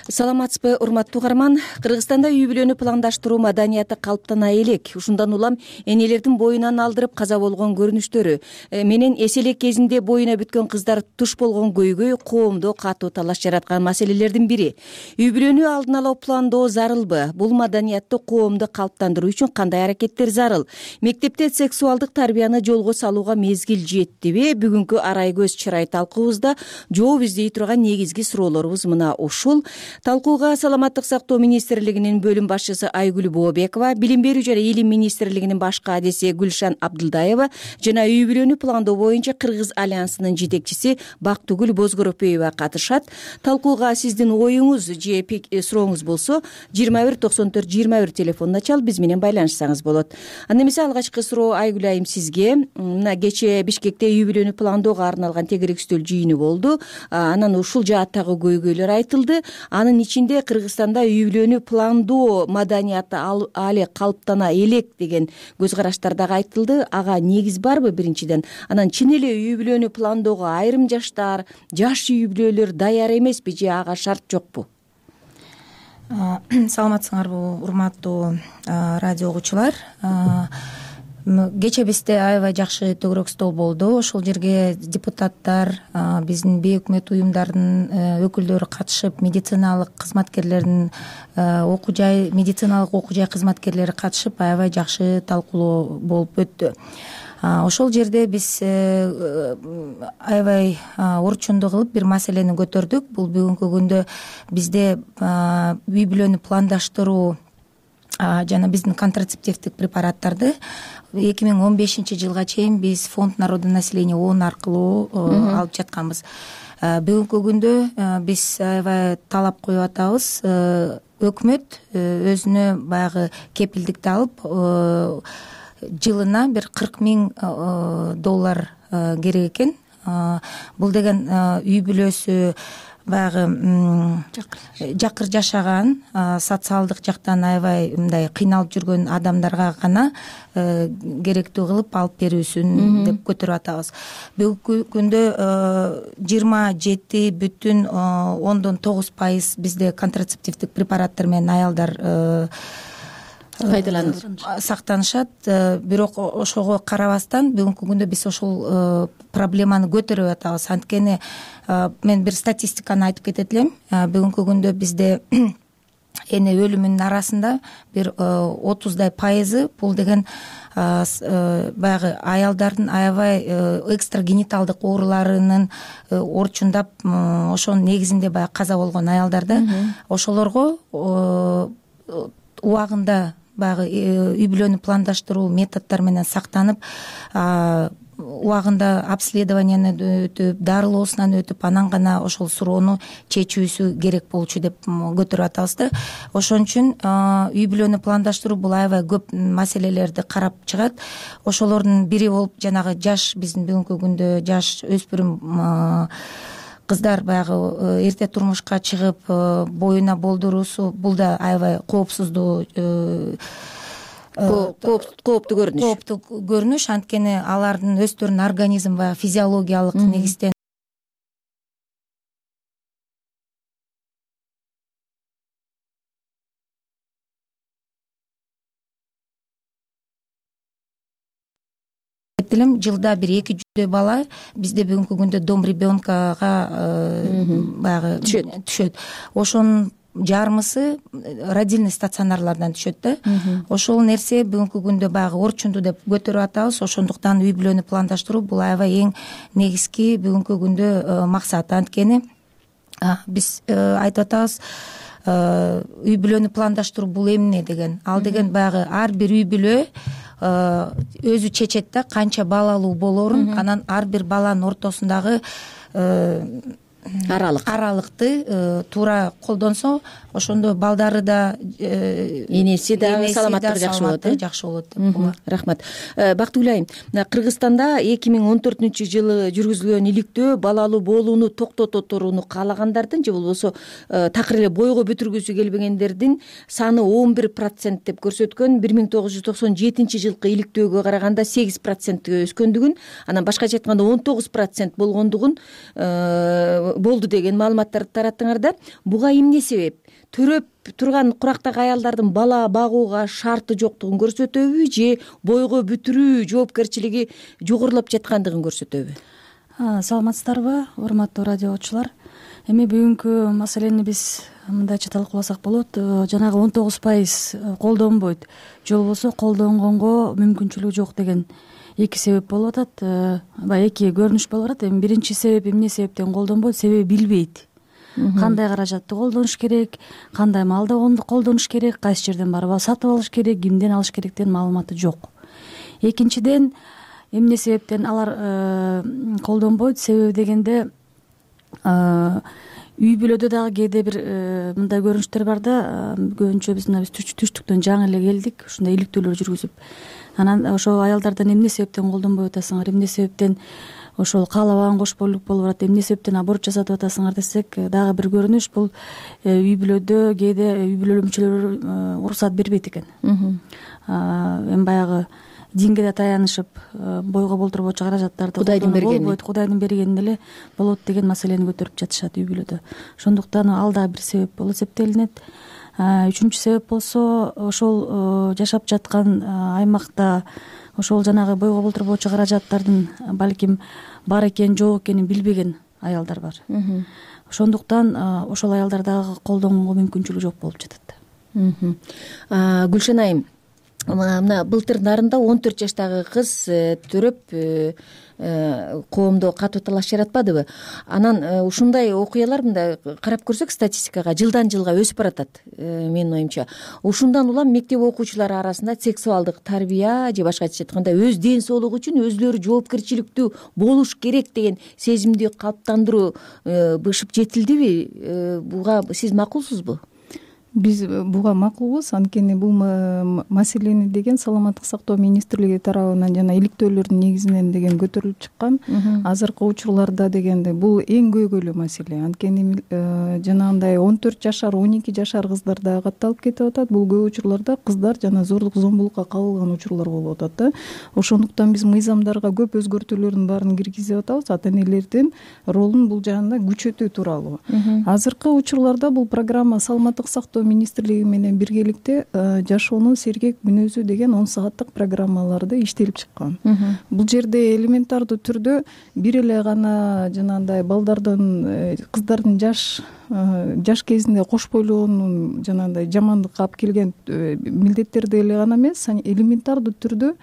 Саламатсызбы, урматтуу угарман? Кыргызстанда үй бүлөнү пландаштыруу маданияты калыптана элек. Ушундан улам энелердин боюнан алдырып каза болгон көрүнүштөрү менен эселек кезинде боюна бүткөн кыздар туш болгон көйгөй коомдо катуу талаш жараткан маселелердин бири. Үй бүлөнү алдын ала пландоо зарылбы? Бул маданиятты коомдо калыптандыруу үчүн кандай аракеттер зарыл? Мектепте сексуалдык тарбияны жолго салууга мезгил жеттиби? Бүгүнкү арай көз чырай талкуубузда жооп издей турган негизги суроолорубуз мына ушул. Талкууга Саламаттык сактоо министрлигинин бөлүм башчысы Айгүл Бообекова, Билим берүү жана Илим министрлигинин баш кадиси Гүлшан Абдылдаева жана үй бүлөнү пландоо боюнча Кыргыз альянсынын жетекчиси Бактыгүл Бозгоропоева катышат. Талкууга сиздин оюңуз же сурооңуз болсо жыйырма бир токсон төрт жыйырма бир телефонуна чалып биз менен байланышсаңыз болот. Анда эмесе алгачкы суроо Айгүл айым сизге. Мына кечээ Бишкекте үй бүлөнү пландоого арналган тегерек үстөл жыйыны болду. Анан ушул жааттагы көйгөйлөр айтылды. Анын ичинде Кыргызстанда үй бүлөнү пландоо маданияты али калыптана элек деген көз караштар дагы айтылды. Ага негиз барбы биринчиден? Анан чын эле үй бүлөнү пландоого айрым жаштар, жаш үй бүлөлөр даяр эмеспи же ага шарт жокпу? Саламатсыңарбы, урматтуу радио угуучулар, кечээ бизде аябай жакшы төгүрөк стол болду. Ошол жерге депутаттар, биздин бейөкмөт уюмдардын өкүлдөрү катышып, медициналык кызматкерлердин окуу жай медициналык окуу жай кызматкерлери катышып, аябай жакшы талкуулоо болуп өттү. Ошол жерде биз аябай орчундуу кылып бир маселени көтөрдүк. Бул бүгүнкү күндө бизде үй бүлөнү пландаштыруу жана биздин контрацептивдик препараттарды эки миң он бешинчи жылга чейин биз фонд народонаселения ООН аркылуу алып жатканбыз. Бүгүнкү күндө биз аябай талап коюп атабыз. Өкмөт өзүнө баягы кепилдикти алып, жылына бир кырк миң доллар керек экен. Бул деген үй бүлөсү баягы жакыр жашаган, социалдык жактан аябай мындай кыйналып жүргөн адамдарга гана керектүү кылып алып берүүсүн деп көтөрүп атабыз. Бүгүнкү күндө жыйырма жети бүтүн ондон тогуз пайыз бизде контрацептивдик препараттар менен аялдар пайдаланып сактанышат. Бирок ошого карабастан бүгүнкү күндө биз ошол проблеманы көтөрүп атабыз. Анткени мен бир статистиканы айтып кетет элем. Бүгүнкү күндө бизде эне өлүмүнүн арасында бир отуздай пайызы бул деген баягы аялдардын аябай экстрагениталдык ооруларынын орчундап, ошонун негизинде баягы каза болгон аялдарда. Ошолорго убагында баягы үй бүлөнү пландаштыруу методдор менен сактанып, убагында обследованияны өтүп, дарылоосунан өтүп, анан гана ошол суроону чечүүсү керек болчу деп көтөрүп атабыз да. Ошон үчүн үй бүлөнү пландаштыруу бул аябай көп маселелерди карап чыгат. Ошолордун бири болуп жанагы жаш, биздин бүгүнкү күндө жаш өспүрүм кыздар баягы эрте турмушка чыгып боюна болдуруусу, бул да аябай коопсуздуу кооптуу көрүнүш. Кооптуу көрүнүш, анткени алардын өздөрүнүн организм баягы физиологиялык негизден жылда бир эки жүздөй бала бизде бүгүнкү күндө дом ребенкага баягы түшөт. Ошонун жарымысы родильный стационарлардан түшөт да. Ошол нерсе бүгүнкү күндө баягы орчундуу деп көтөрүп атабыз. Ошондуктан үй бүлөнү пландаштыруу бул аябай эң негизги бүгүнкү күндө максат. Анткени биз айтып атабыз, үй бүлөнү пландаштыруу бул эмне деген. Ал деген баягы ар бир үй бүлө өзү чечет да канча балалуу болоорун, анан ар бир баланын ортосундагы аралык аралыкты туура колдонсо, ошондо балдары да энеси дагы саламаттыгы жакшы болот. Жакшы болот. Рахмат. Бактыгүл айым, Кыргызстанда эки миң он төртүнчү жылы жүргүзүлгөн иликтөө балалуу болууну токтото турууну каалагандардын же болбосо такыр эле бойго бүтүргүсү келбегендердин саны он бир процент деп көрсөткөн. бир миң тогуз жүз токсон жетинчи жылкы иликтөөгө караганда сегиз процентке өскөндүгүн, анан башкача айтканда он тогуз процент болгондугун болду деген маалыматтарды тараттыңар да. Буга эмне себеп? Төрөп турган курактагы аялдардын бала багууга шарты жоктугун көрсөтөбү же бойго бүтүрүү жоопкерчилиги жогорулап жаткандыгын көрсөтөбү? Саламатсыздарбы, урматтуу радио угуучулар? Эми бүгүнкү маселени биз мындайча талкууласак болот. Жанагы он тогуз пайыз колдонбойт же болбосо колдонгонго мүмкүнчүлүгү жок деген эки себеп болуп атат. Баягы эки көрүнүш болуп атат. Эми биринчи себеп эмне себептен колдонбойт? Себеби билбейт. Кандай каражатты колдонуш керек, кандай маалда колдонуш керек, кайсы жерден барып сатып алыш керек, кимден алыш керек деген маалыматы жок. Экинчиден, эмне себептен алар колдонбойт? Себеби дегенде үй бүлөдө дагы кээде бир мындай көрүнүштөр бар да. Көбүнчө биз мына биз түштүктөн жаңы эле келдик, ушундай иликтөөлөр жүргүзүп. Анан ошол аялдардан эмне себептен колдонбой атасыңар, эмне себептен ошол каалабаган кош бойлук болуп барат, эмне себептен аборт жасатып атасыңар десек, дагы бир көрүнүш бул үй бүлөдө кээде үй бүлө мүчөлөрү уруксат бербейт экен. Эми баягы динге да таянышып, бойго болтурбочу каражаттарды Кудайдын бергени болбойт, Кудайдын бергени эле болот деген маселени көтөрүп жатышат үй бүлөдө. Ошондуктан ал дагы бир себеп болуп эсептелинет. үчүнчү себеп болсо ошол жашап жаткан аймакта ошол жанагы бойго болтурбоочу каражаттардын балким бар экенин жок экенин билбеген аялдар бар. Ошондуктан ошол аялдар дагы колдонгонго мүмкүнчүлүгү жок болуп жатат. Гүлшен айым, мына былтыр нарында он төрт жаштагы кыз төрөп коомдо катуу талаш жаратпадыбы? Анан ушундай окуялар мындай карап көрсөк статистикага жылдан жылга өсүп баратат. Менин оюмча ушундан улам мектеп окуучулары арасында сексуалдык тарбия же башкача айтканда өз ден соолугу үчүн өзүлөрү жоопкерчиликтүү болуш керек деген сезимди калыптандыруу бышып жетилдиби? Буга сиз макулсузбу? Биз буга макулбуз, анткени бул маселени деген саламаттык сактоо министрлиги тарабынан жана иликтөөлөрдүн негизинен деген көтөрүлүп чыккан. Азыркы учурларда дегенде бул эң көйгөйлүү маселе. Анткени жанагындай он төрт жашар, он эки жашар кыздар дагы катталып кетип атат. Бул көп учурларда кыздар жана зордук зомбулукка кабылган учурлар болуп атат да. Ошондуктан биз мыйзамдарга көп өзгөртүүлөрдүн баарын киргизип атабыз. Ата энелердин ролун бул жагында күчөтүү тууралуу. Азыркы учурларда бул программа саламаттык сактоо министрлиги менен биргеликте жашоонун сергек мүнөзү деген он сааттык программаларды иштелип чыккан. Бул жерде элементардуу түрдө бир эле гана жанагындай балдардын, кыздардын жаш жаш кезинде кош бойлоонун жанагындай жамандыкка алып келген милдеттерди эле гана эмес, элементардуу түрдө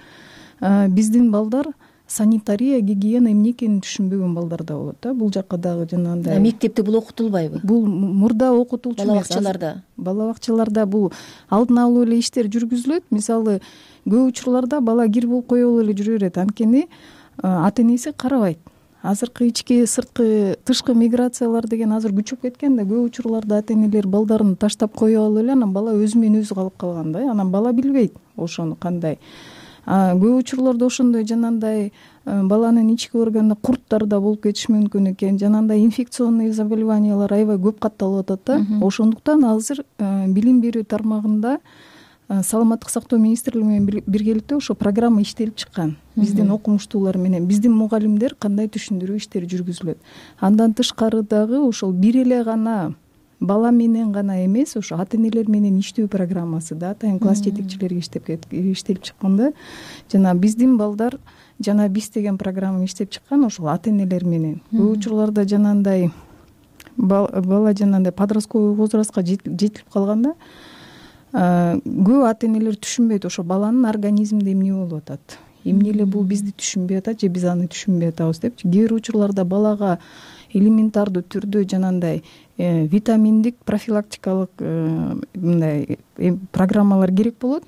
биздин балдар санитария, гигиена эмне экенин түшүнбөгөн балдар да болот да. Бул жакка дагы жанагындай мектепте бул окутулбайбы? Бул мурда окутулчу бала бакчаларда. Бала бакчаларда бул алдын алуу эле иштер жүргүзүлөт. Мисалы, көп учурларда бала кир болуп коелу эле жүрө берет. Анткени ата энеси карабайт. Азыркы ички сырткы тышкы миграциялар деген азыр күчөп кеткен да, көп учурларда ата энелер балдарын таштап кое алып эле анан бала өзү менен өзү калып калган да. Анан бала билбейт ошону кандай. Көп учурларда ошондой жанагындай баланын ички органында курттар да болуп кетиши мүмкүн экен. Жанагындай инфекционный заболеваниялар аябай көп катталып атат да. Ошондуктан азыр билим берүү тармагында саламаттык сактоо министрлиги менен биргеликте ошо программа иштелип чыккан. Биздин окумуштуулар менен, биздин мугалимдер кандай түшүндүрүү иштери жүргүзүлөт. Андан тышкары дагы ошол бир эле гана бала менен гана эмес, ошо ата энелер менен иштөө программасы да атайын класс жетекчилерге иштеп иштелип чыккан да. Жана биздин балдар жана биз деген программа иштеп чыккан ошол ата энелер менен. Көп учурларда жанагындай бала жанагындай подростковый возрастка жетилип калганда көп ата энелер түшүнбөйт ошо баланын организминде эмне болуп атат. Эмне эле бул бизди түшүнбөй атат же биз аны түшүнбөй атабыз депчи. Кээ бир учурларда балага элементардуу түрдө жанагындай витаминдик профилактикалык мындай программалар керек болот.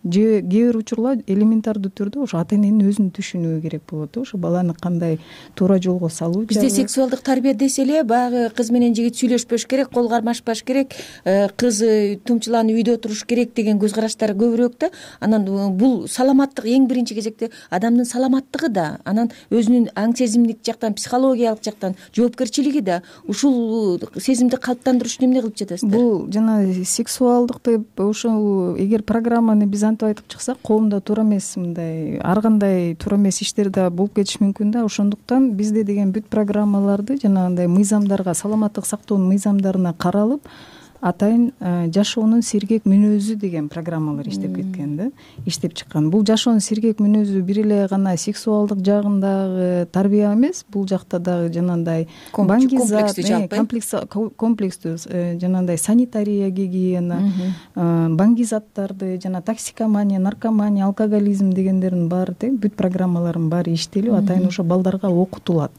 Же кээ бир учурлар элементардуу түрдө ошо ата эненин өзүн түшүнүүгө керек болот. Ошо баланы кандай туура жолго салуу. Бизде сексуалдык тарбия десе эле баягы кыз менен жигит сүйлөшпөш керек, кол кармашпаш керек, кыз тумчуланып үйдө туруш керек деген көз караштар көбүрөөк да. Анан бул саламаттык эң биринчи кезекте адамдын саламаттыгы да, анан өзүнүн аң сезимдик жактан, психологиялык жактан жоопкерчилиги да. Ушул сезимди калыптандырыш үчүн эмне кылып жатасыздар? Бул жана сексуалдыкты ошол эгер программаны биз антип айтып чыксак, коомдо туура эмес, мындай ар кандай туура эмес иштер да болуп кетиши мүмкүн да. Ошондуктан бизде деген бүт программаларды жанагындай мыйзамдарга, саламаттык сактоонун мыйзамдарына каралып, атайын жашоонун сергек мүнөзү деген программалар иштеп кеткен да, иштеп чыккан. Бул жашоонун сергек мүнөзү бир эле гана сексуалдык жагындагы тарбия эмес, бул жакта дагы жанагындай баңгизат, комплекстүү жанагындай санитария, гигиена, баңгизаттарды жана токсикомания, наркомания, алкоголизм дегендердин баары тең бүт программалардын баары иштелип, атайын ошо балдарга окутулат.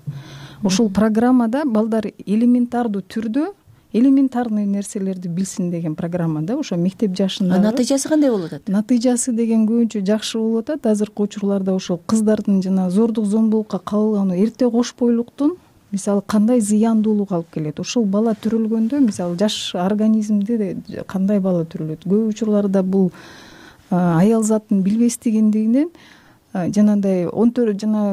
Ошол программада балдар элементардуу түрдө элементарный нерселерди билсин деген программа да. Ошо мектеп жашында. Натыйжасы кандай болуп атат? Натыйжасы деген көбүнчө жакшы болуп атат. Азыркы учурларда ошол кыздардын жана зордук зомбулукка кабылганы, эрте кош бойлуктун мисалы кандай зыяндуулугу алып келет. Ошол бала төрөлгөндө мисалы жаш организмде кандай бала төрөлөт. Көп учурларда бул аял затын билбестигиндигинен жанагындай он төрт жана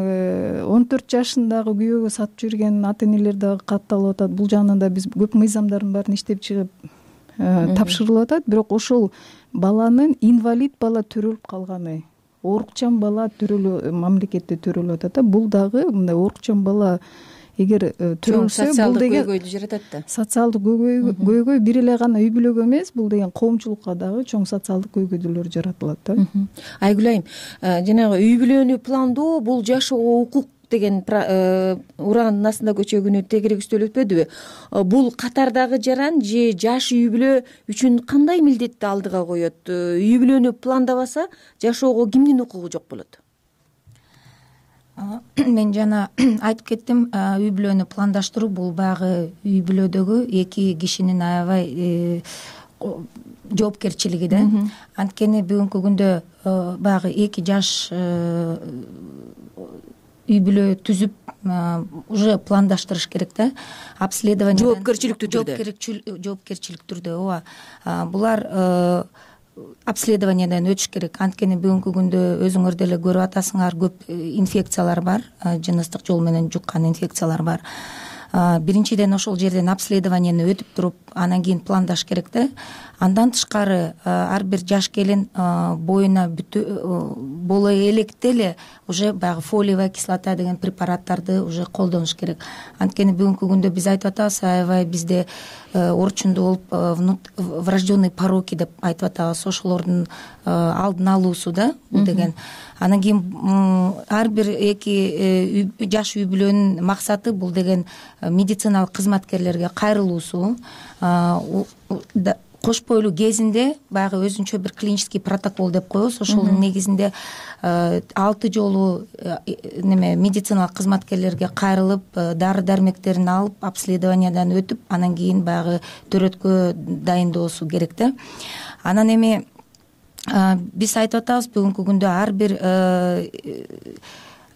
он төрт жашындагы күйөөгө сатып жүргөн ата энелер дагы катталып атат. Бул жагынан да биз көп мыйзамдардын баарын иштеп чыгып тапшырылып атат. Бирок ошол баланын инвалид бала төрөлүп калганы, оорукчан бала төрөлүп мамлекетте төрөлүп атат да. Бул дагы мындай оорукчан бала эгер төрөлсө бул деген көйгөйдү жаратат да. Социалдык көйгөй бир эле гана үй бүлөгө эмес, бул деген коомчулукка дагы чоң социалдык көйгөйлөр жаратылат да. Айгүл айым, жанагы үй бүлөнү пландоо бул жашоого укук деген ураанын астында көчөгүнү тегерегистөө өтпөдүбү? Бул катардагы жаран же жаш үй бүлө үчүн кандай милдетти алдыга коет? Үй бүлөнү пландабаса жашоого кимдин укугу жок болот? Мен жана айтып кеттим, үй бүлөнү пландаштыруу бул баягы үй бүлөдөгү эки кишинин аябай жоопкерчилиги да. Анткени бүгүнкү күндө баягы эки жаш үй бүлө түзүп уже пландаштырыш керек да. Обследование жоопкерчиликтүү түрдө. Жоопкерчилик түрдө, ооба. Булар обследованиядан өтүш керек. Анткени бүгүнкү күндө өзүңөр деле көрүп атасыңар, көп инфекциялар бар, жыныстык жол менен жуккан инфекциялар бар. Биринчиден ошол жерден обследованияны өтүп туруп, анан кийин пландаш керек да. Андан тышкары ар бир жаш келин боюна боло электе эле уже баягы фолиевая кислота деген препараттарды уже колдонуш керек. Анткени бүгүнкү күндө биз айтып атабыз, аябай бизде орчунда болуп врожденный пороки деп айтып атабыз, ошолордун алдын алуусу да бул деген. Анан кийин ар бир эки жаш үй бүлөнүн максаты бул деген медициналык кызматкерлерге кайрылуусу, кош бойлуу кезинде баягы өзүнчө бир клинический протокол деп коебуз. Ошонун негизинде алты жолу неме медициналык кызматкерлерге кайрылып, дары дармектерин алып, обследованиядан өтүп, анан кийин баягы төрөткө дайындоосу керек да. Анан эми биз айтып атабыз, бүгүнкү күндө ар бир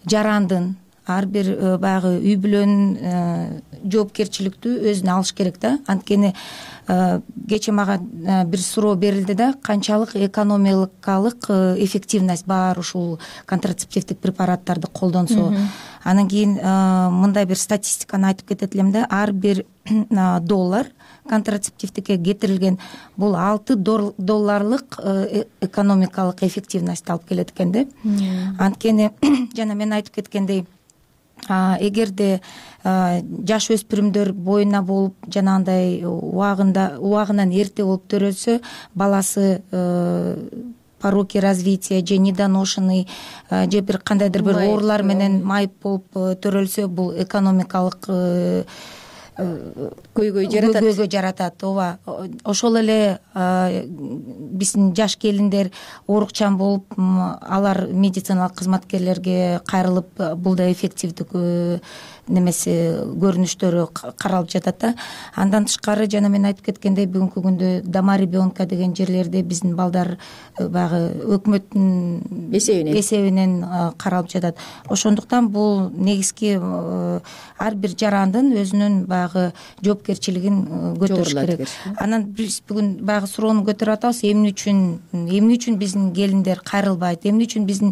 жарандын, ар бир баягы үй бүлөнүн жоопкерчиликтүү өзүнө алыш керек да. Анткени кечээ мага бир суроо берилди да, канчалык экономикалык эффективность бар ушул контрацептивдик препараттарды колдонсо. Анан кийин мындай бир статистиканы айтып кетет элем да, ар бир доллар контрацептивдикке кетирилген бул алты долларлык экономикалык эффективность алып келет экен да. Анткени жана мен айтып кеткендей, эгерде жаш өспүрүмдөр боюна болуп жанагындай убагында убагынан эрте болуп төрөлсө, баласы пороки развития же недоношенный же бир кандайдыр бир оорулар менен майып болуп төрөлсө, бул экономикалык көйгөй жаратат. Көйгөй жаратат, ооба. Ошол эле биздин жаш келиндер оорукчан болуп, алар медициналык кызматкерлерге кайрылып, бул да эффективдик немеси көрүнүштөрү каралып жатат да. Андан тышкары жана мен айтып кеткендей, бүгүнкү күндө дома ребенка деген жерлерде биздин балдар баягы өкмөттүн эсебинен эсебинен каралып жатат. Ошондуктан бул негизги ар бир жарандын өзүнүн баягы жоопкерчилигин көтөрүш керек. Анан биз бүгүн баягы суроону көтөрүп атабыз, эмне үчүн эмне үчүн биздин келиндер кайрылбайт, эмне үчүн биздин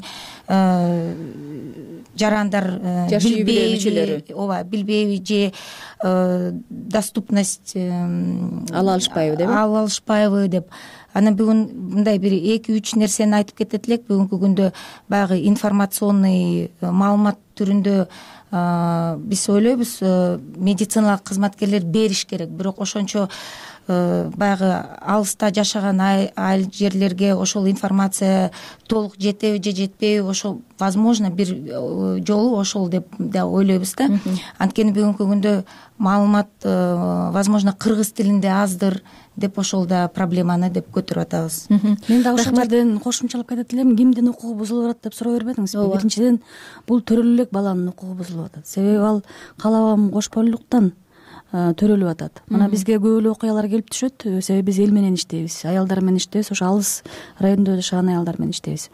жарандар билбейби, ооба, билбейби же доступность ала алышпайбы деп ала алышпайбы деп. Анан бүгүн мындай бир эки үч нерсени айтып кетет элек. Бүгүнкү күндө баягы информационный маалымат түрүндө биз ойлойбуз, медициналык кызматкерлер бериш керек, бирок ошончо баягы алыста жашаган айыл жерлерге ошол информация толук жетеби же жетпейби, ошол возможно бир жолу ошол деп да ойлойбуз да. Анткени бүгүнкү күндө маалымат возможно кыргыз тилинде аздыр деп ошол да проблеманы деп көтөрүп атабыз. Мен дагы ошол жерден кошумчалап кетет элем, кимдин укугу бузулуп атат деп суроо бербедиңизби? Биринчиден бул төрөлө элек баланын укугу бузулуп атат. Себеби ал каалабаган кош бойлуулуктан төрөлүп атат. Мына бизге көп эле окуялар келип түшөт, себеби биз эл менен иштейбиз, аялдар менен иштейбиз, ошо алыс райондо жашаган аялдар менен иштейбиз.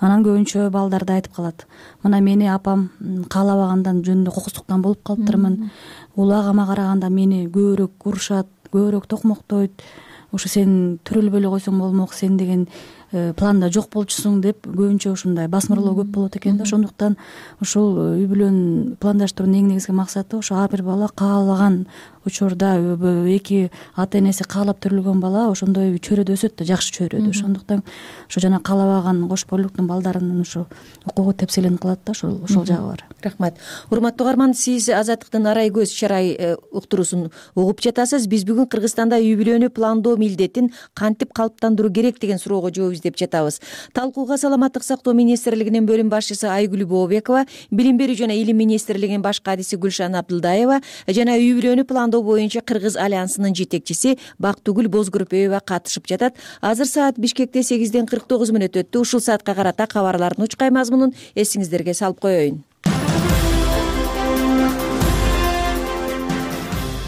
Анан көбүнчө балдар да айтып калат, мына мени апам каалабагандан жөнүндө кокустуктан болуп калыптырмын, улагама караганда мени көбүрөөк урушат, көбүрөөк токмоктойт, ошо сен төрөлбөй эле койсоң болмок, сен деген планда жок болчусуң деп көбүнчө ушундай басмырлоо көп болот экен да. Ошондуктан ушул үй бүлөнүн пландаштыруунун эң негизги максаты ошо ар бир бала каалаган учурда эки ата энеси каалап төрөлгөн бала ошондой чөйрөдө өсөт да, жакшы чөйрөдө. Ошондуктан ошо жана каалабаган кош бойлуулуктун балдарынын ушу укугу тепселенип калат да, ошол ошол жагы бар. Рахмат. Урматтуу угарман, сиз Азаттыктын Арай көз чарай уктуруусун угуп жатасыз. Биз бүгүн Кыргызстанда үй бүлөнү пландоо милдетин кантип калыптандыруу керек деген суроого жооп издеп жатабыз. Талкууга Саламаттык сактоо министрлигинин бөлүм башчысы Айгүл Бообекова, Билим берүү жана илим министрлигинин баш кадиси Гүлшан Абдылдаева жана үй бүлөнү пландоо боюнча Кыргыз альянсынын жетекчиси Бактыгүл Бозгүрпөева катышып жатат. Азыр саат Бишкекте сегизден кырк тогуз мүнөт өттү. Ушул саатка карата кабарлардын учкай мазмунун эсиңиздерге салып коеюн.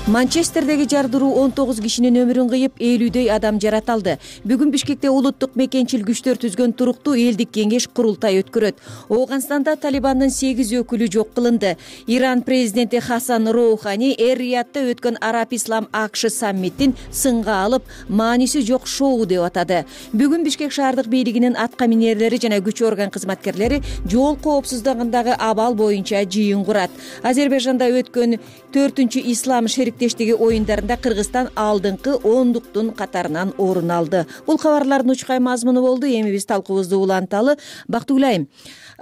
Манчестердеги жардыруу он тогуз кишинин өмүрүн кыйып, элүүдөй адам жараталды. Бүгүн Бишкекте улуттук мекенчил күчтөр түзгөн туруктуу элдик кеңеш курултай өткөрөт. Оогунстанда Талибандын сегиз өкүлү жок кылынды. Иран президенти Хасан Роухани Эр-Риядда өткөн Араб-Ислам АКШ саммитин сынга алып, мааниси жок шоу деп атады. Бүгүн Бишкек шаардык бийлигинин атка минерлери жана күч орган кызматкерлери жол коопсуздугундагы абал боюнча жыйын курат. Азербайжанда өткөн төртүнчү ислам шериктештиги оюндарында Кыргызстан алдыңкы ондуктун катарынан орун алды. Бул кабарлардын учкай мазмуну болду. Эми биз талкуубузду уланталы. Бактыгүл айым,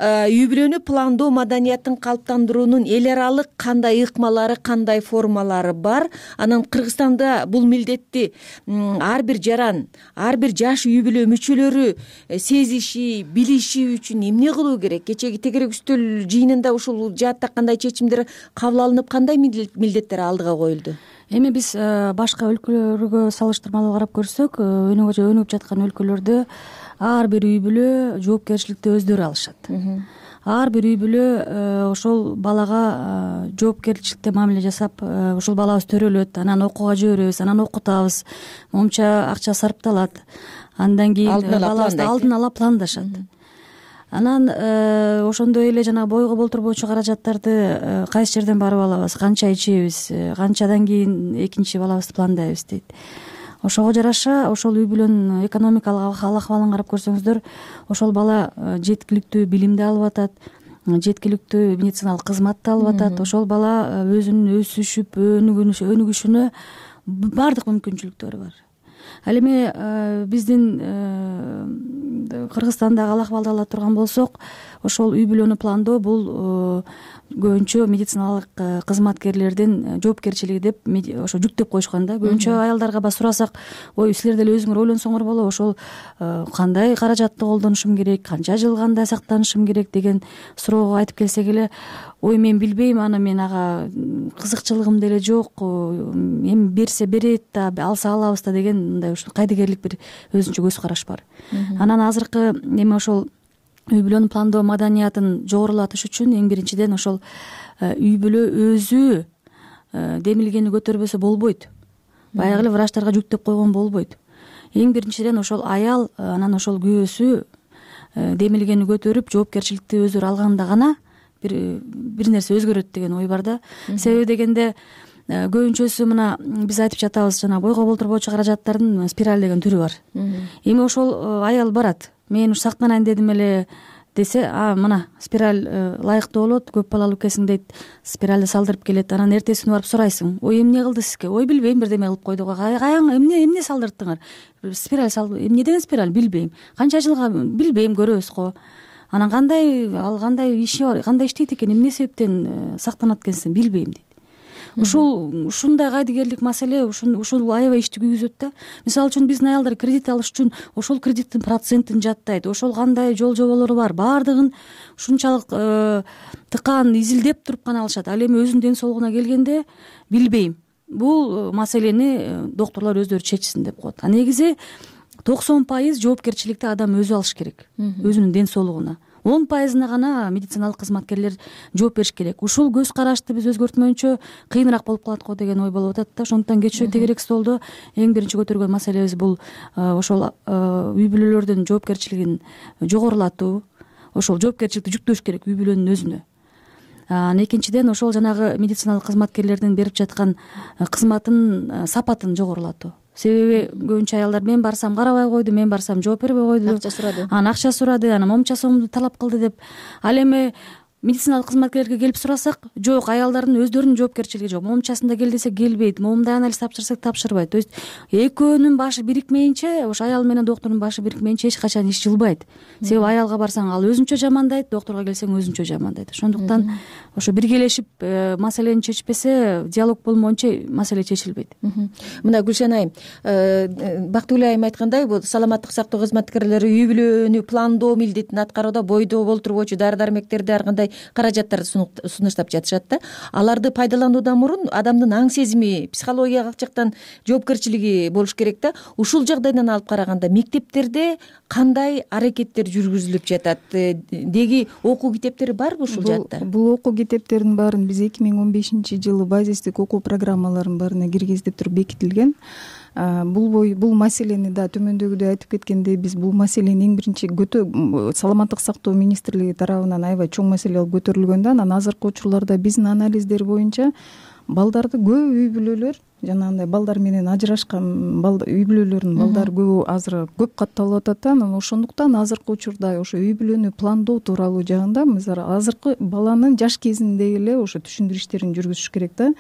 үй бүлөнү пландоо маданиятын калыптандыруунун эл аралык кандай ыкмалары, кандай формалары бар? Анан Кыргызстанда бул милдетти ар бир жаран, ар бир жаш үй бүлө мүчөлөрү сезиши, билиши үчүн эмне кылуу керек? Кечеги тегерек үстөл жыйынында ушул жаатта кандай чечимдер кабыл алынып, кандай милдеттер алдыга коюлду? Эми биз башка өлкөлөргө салыштырмалуу карап көрсөк, өнүгүп жаткан өлкөлөрдө ар бир үй бүлө жоопкерчиликти өздөрү алышат. Ар бир үй бүлө ошол балага жоопкерчиликте мамиле жасап, ушул балабыз төрөлөт, анан окууга жиберебиз, анан окутабыз, момча акча сарпталат. Андан кийин балабызды алдын ала пландашат. Анан ошондой эле жана бойго болтурбоочу каражаттарды кайсы жерден барып алабыз, канча ичебиз, канчадан кийин экинчи балабызды пландайбыз дейт. Ошого жараша ошол үй бүлөнүн экономикалык ахвалын карап көрсөңүздөр, ошол бала жеткиликтүү билимди алып атат, жеткиликтүү медициналык кызматты алып атат. Ошол бала өзүнүн өсүшүп, өнүгүшүнө баардык мүмкүнчүлүктөрү бар. Ал эми биздин Кыргызстандагы ал акыбалды ала турган болсок, ошол үй бүлөнү пландоо бул көбүнчө медициналык кызматкерлердин жоопкерчилиги деп ошо жүктөп коюшкан да. Көбүнчө аялдарга ба сурасак, ой, силер деле өзүңөр ойлонсоңор болот, ошол кандай каражатты колдонушум керек, канча жыл кандай сактанышым керек деген суроого айтып келсек эле, ой, мен билбейм, аны мен ага кызыкчылыгым деле жок, эми берсе берет да, алса алабыз да деген мындай ушул кайдыгерлик бир өзүнчө көз караш бар. Анан азыркы эми ошол үй бүлөнү пландоо маданиятын жогорулатыш үчүн эң биринчиден ошол үй бүлө өзү демилгени көтөрбөсө болбойт. Баягы эле врачтарга жүктөп койгон болбойт. Эң биринчиден ошол аял, анан ошол күйөөсү демилгени көтөрүп, жоопкерчиликти өздөрү алганда гана бир бир нерсе өзгөрөт деген ой бар да. Себеби дегенде көбүнчөсү мына биз айтып жатабыз, жана бойго болтурбоочу каражаттардын спираль деген түрү бар. Эми ошол аял барат, мен уж сактанайын дедим эле десе, а мына спираль ылайыктуу болот, көп балалуу экенсиң дейт, спиральди салдырып келет. Анан эртесине барып сурайсың, ой, эмне кылды сизге? Ой, билбейм, бирдеме кылып койду го. Каян эмне эмне салдырттыңар? Спираль салды. Эмне деген спираль? Билбейм. Канча жылга? Билбейм, көрөбүз го. Анан кандай ал кандай иши бар, кандай иштейт экен, эмне себептен сактанат экенсиң? Билбейм дейт. Ушул ушундай кайдыгерлик маселе ушул аябай ишти күйгүзөт да. Мисалы үчүн биздин аялдар кредит алыш үчүн ошол кредиттин процентин жаттайт, ошол кандай жол жоболору бар, баардыгын ушунчалык тыкаан изилдеп туруп гана алышат. Ал эми өзүнүн ден соолугуна келгенде билбейм. Бул маселени доктурлар өздөрү чечсин деп коет. А негизи токсон пайыз жоопкерчиликти адам өзү алыш керек, өзүнүн ден соолугуна. он пайызына гана медициналык кызматкерлер жооп бериш керек. Ушул көз карашты биз өзгөртмөйүнчө кыйыныраак болуп калат го деген ой болуп атат да. Ошондуктан кечээ тегерек столдо эң биринчи көтөргөн маселебиз бул ошол үй бүлөлөрдүн жоопкерчилигин жогорулатуу, ошол жоопкерчиликти жүктөш керек үй бүлөнүн өзүнө. Анан экинчиден ошол жанагы медициналык кызматкерлердин берип жаткан кызматтын сапатын жогорулатуу. себеби көбүнчө аялдар мен барсам карабай койду, мен барсам жооп бербей койду, акча сурады, анан акча сурады, анан момча сомду талап кылды деп. Ал эми медициналык кызматкерлерге келип сурасак, жок, аялдардын өздөрүнүн жоопкерчилиги жок. Момчасында кел десек келбейт, момундай анализ тапшырсак тапшырбайт. То есть экөөнүн башы бирикмейинче, ошо аял менен доктордун башы бирикмейинче эч качан иш жылбайт. Себеби аялга барсаң ал өзүнчө жамандайт, докторго келсең өзүнчө жамандайт. Ошондуктан ошо биргелешип маселени чечпесе, диалог болмоюнча маселе чечилбейт. Мына Гүлшен айым, Бактыгүл айым айткандай, бул саламаттык сактоо кызматкерлери үй бүлөнү пландоо милдетин аткарууда бойдоо болтурбоочу дары-дармектерди ар кандай каражаттарды сунуштап жатышат да. Аларды пайдалануудан мурун адамдын аң сезими, психологиялык жактан жоопкерчилиги болуш керек да. Ушул жагдайдан алып караганда мектептерде кандай аракеттер жүргүзүлүп жатат? Деги окуу китептери барбы ушул жакта? Бул окуу китептердин баарын биз эки миң он бешинчи жылы базистик окуу программаларынын баарына киргизип туруп бекитилген. Бул бой бул маселени да төмөндөгүдөй айтып кеткендей, биз бул маселени эң биринчи көтө саламаттык сактоо министрлиги тарабынан аябай чоң маселе болуп көтөрүлгөн да. Анан азыркы учурларда биздин анализдер боюнча балдарды көп үй бүлөлөр, жанагындай балдар менен ажырашкан үй бүлөлөрдүн балдары көп азыр көп катталып атат да. Анан ошондуктан азыркы учурда ошо үй бүлөнү пландоо тууралуу жагында азыркы баланын жаш кезинде эле ошо түшүндүрүү иштерин жүргүзүш керек да.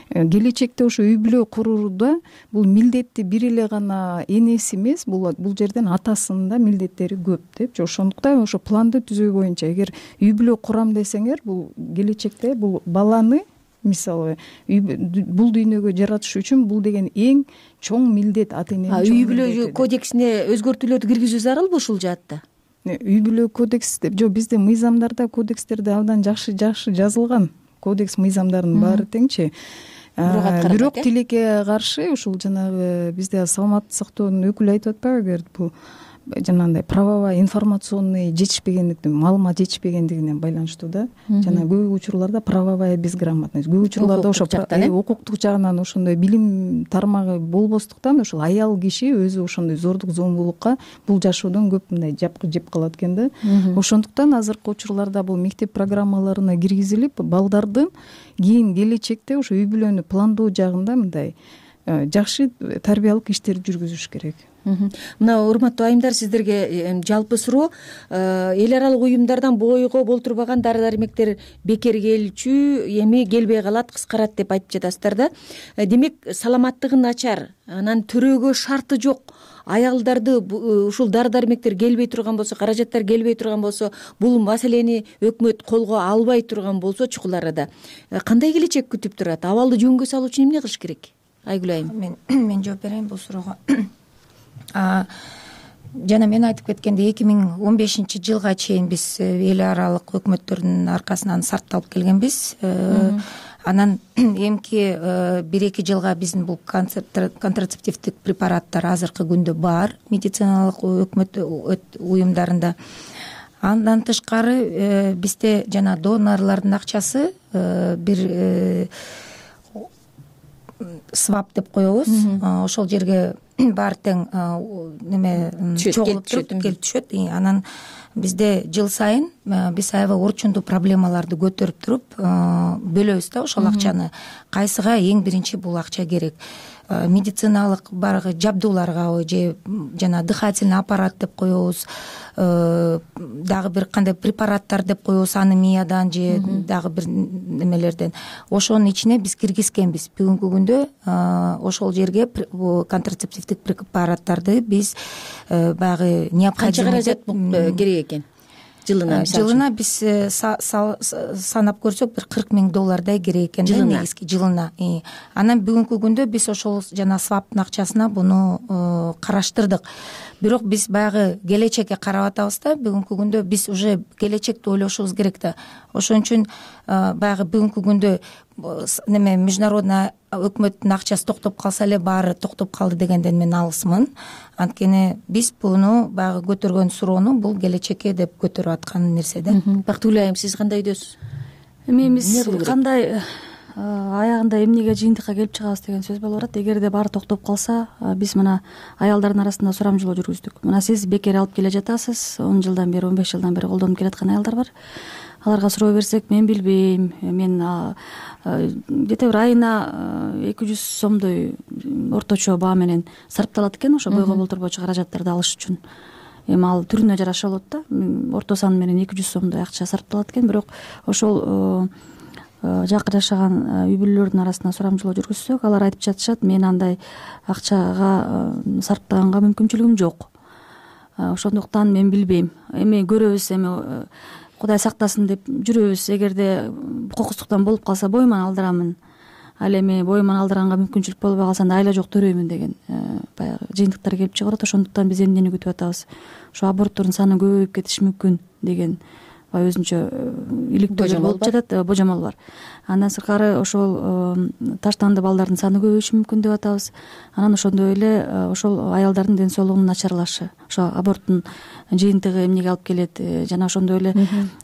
Келечекте ошо үй бүлө курууда бул милдетти бир эле гана энеси эмес, бул бул жерден атасынын да милдеттери көп депчи. Ошондуктан ошо планды түзүү боюнча эгер үй бүлө курам десеңер, бул келечекте бул баланы мисалы бул дүйнөгө жаратыш үчүн бул деген эң чоң милдет, ата эненин. Үй бүлө кодексине өзгөртүүлөрдү киргизүү зарылбы ушул жаатта? Үй бүлө кодекс деп жок, бизде мыйзамдарда кодекстерде абдан жакшы жакшы жазылган. Кодекс мыйзамдарынын баары теңчи. Бирок тилекке каршы ушул жанагы бизде саламаттык сактоонун өкүлү айтып атпайбы, эгер бул жанагындай правовой информационный жетишпегендиктен, маалымат жетишпегендигине байланыштуу да. Жана көп учурларда правовая безграмотность, көп учурларда ошо укуктук жагынан ошондой билим тармагы болбостуктан ошол аял киши өзү ошондой зордук зомбулукка бул жашоодон көп мындай жапкы жеп калат экен да. Ошондуктан азыркы учурларда бул мектеп программаларына киргизилип, балдардын кийин келечекте ошо үй бүлөнү пландоо жагында мындай жакшы тарбиялык иштерди жүргүзүш керек. Мына урматтуу айымдар, сиздерге жалпы суроо, эл аралык уюмдардан бойго болтурбаган дары-дармектер бекер келчү, эми келбей калат, кыскарат деп айтып жатасыздар да. Демек, саламаттыгы начар, анан төрөөгө шарты жок аялдарды ушул дары-дармектер келбей турган болсо, каражаттар келбей турган болсо, бул маселени өкмөт колго албай турган болсо чукул арада кандай келечек күтүп турат? Абалды жөнгө салуу үчүн эмне кылыш керек? Айгүл айым. Мен мен жооп берейин бул суроого. Жана мен айтып кеткендей, эки миң он бешинчи жылга чейин биз эл аралык өкмөттөрдүн аркасынан сарпталып келгенбиз. Анан эмки бир эки жылга биздин бул контрацептивдик препараттар азыркы күндө бар медициналык өкмөт уюмдарында. Андан тышкары бизде жана донорлордун акчасы бир свап деп коебуз. Ошол жерге баары тең неме чогулуп туруп келип түшөт. Анан бизде жыл сайын биз аябай орчундуу проблемаларды көтөрүп туруп бөлөбүз да ошол акчаны. Кайсыга эң биринчи бул акча керек? Медициналык баргы жабдууларгабы же жана дыхательный аппарат деп коебуз, дагы бир кандай препараттар деп коебуз анемиядан же дагы бир немелерден. Ошонун ичине биз киргизгенбиз. Бүгүнкү күндө ошол жерге контрацептивдик препараттарды биз баягы необходимый канча каражат керек экен? Жылына жылына биз санап көрсөк бир кырк миң доллардай керек экен да негизги жылына. Анан бүгүнкү күндө биз ошол жана сваптын акчасына буну караштырдык. Бирок биз баягы келечекке карап атабыз да. Бүгүнкү күндө биз уже келечекти ойлошубуз керек да. Ошон үчүн баягы бүгүнкү күндө неме международный өкмөттүн акчасы токтоп калса эле баары токтоп калды дегенден мен алысмын. Анткени биз буну баягы көтөргөн суроону бул келечекке деп көтөрүп аткан нерсе да. Бактыгүл айым, сиз кандай өйдөсүз? Эми биз кандай аягында эмнеге жыйынтыкка келип чыгабыз деген сөз болуп атат. Эгерде баары токтоп калса, биз мына аялдардын арасында сурамжылоо жүргүздүк. Мына сиз бекер алып келе жатасыз, он жылдан бери, он беш жылдан бери колдонуп келаткан аялдар бар. аларга суроо берсек мен билбейм, мен где то бир айына эки жүз сомдой орточо баа менен сарпталат экен ошо бойго болтурбоочу каражаттарды алыш үчүн. Эми ал түрүнө жараша болот да, орто сан менен эки жүз сомдой акча сарпталат экен. Бирок ошол жакын жашаган үй бүлөлөрдүн арасына сурамжылоо жүргүзсөк, алар айтып жатышат, мен андай акчага сарптаганга мүмкүнчүлүгүм жок. Ошондуктан мен билбейм. Эми көрөбүз, эми Кудай сактасын деп жүрөбүз. Эгерде кокустуктан болуп калса бойман алдырамын. Ал эми бойман алдыранга мүмкүнчүлүк болбой калса анда айла жок төрөймүн деген баягы жыйынтыктар келип чыгып атат. Ошондуктан биз эмнени күтүп атабыз? Ошо аборттордун саны көбөйүп кетиши мүмкүн деген өзүнчө иликтөөлөр болуп жатат, божомол бар. Андан сыркары ошол таштанды балдардын саны көбөйүшү мүмкүн деп атабыз. Анан ошондой эле ошол аялдардын ден соолугунун начарлашы, ошо аборттун жыйынтыгы эмнеге алып келет, жана ошондой эле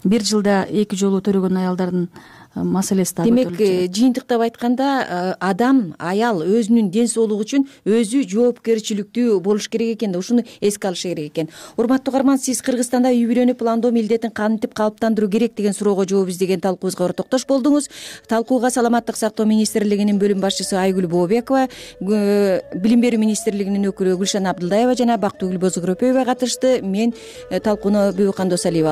бир жылда эки жолу төрөгөн аялдардын маселеси да. Демек, жыйынтыктап айтканда адам, аял өзүнүн ден соолугу үчүн өзү жоопкерчиликтүү болуш керек экен да, ушуну эске алыш керек экен. Урматтуу угарман, сиз Кыргызстанда үй бүлөнү пландоо милдетин кантип калыптандыруу керек деген суроого жооп издеген талкуубузга ортоктош болдуңуз. Талкууга Саламаттык сактоо министрлигинин бөлүм башчысы Айгүл Бообекова, Билим берүү министрлигинин өкүлү Гүлшан Абдылдаева жана Бактыгүл Бозогоропоева катышты. Мен талкууну Бүйүкан Досалиева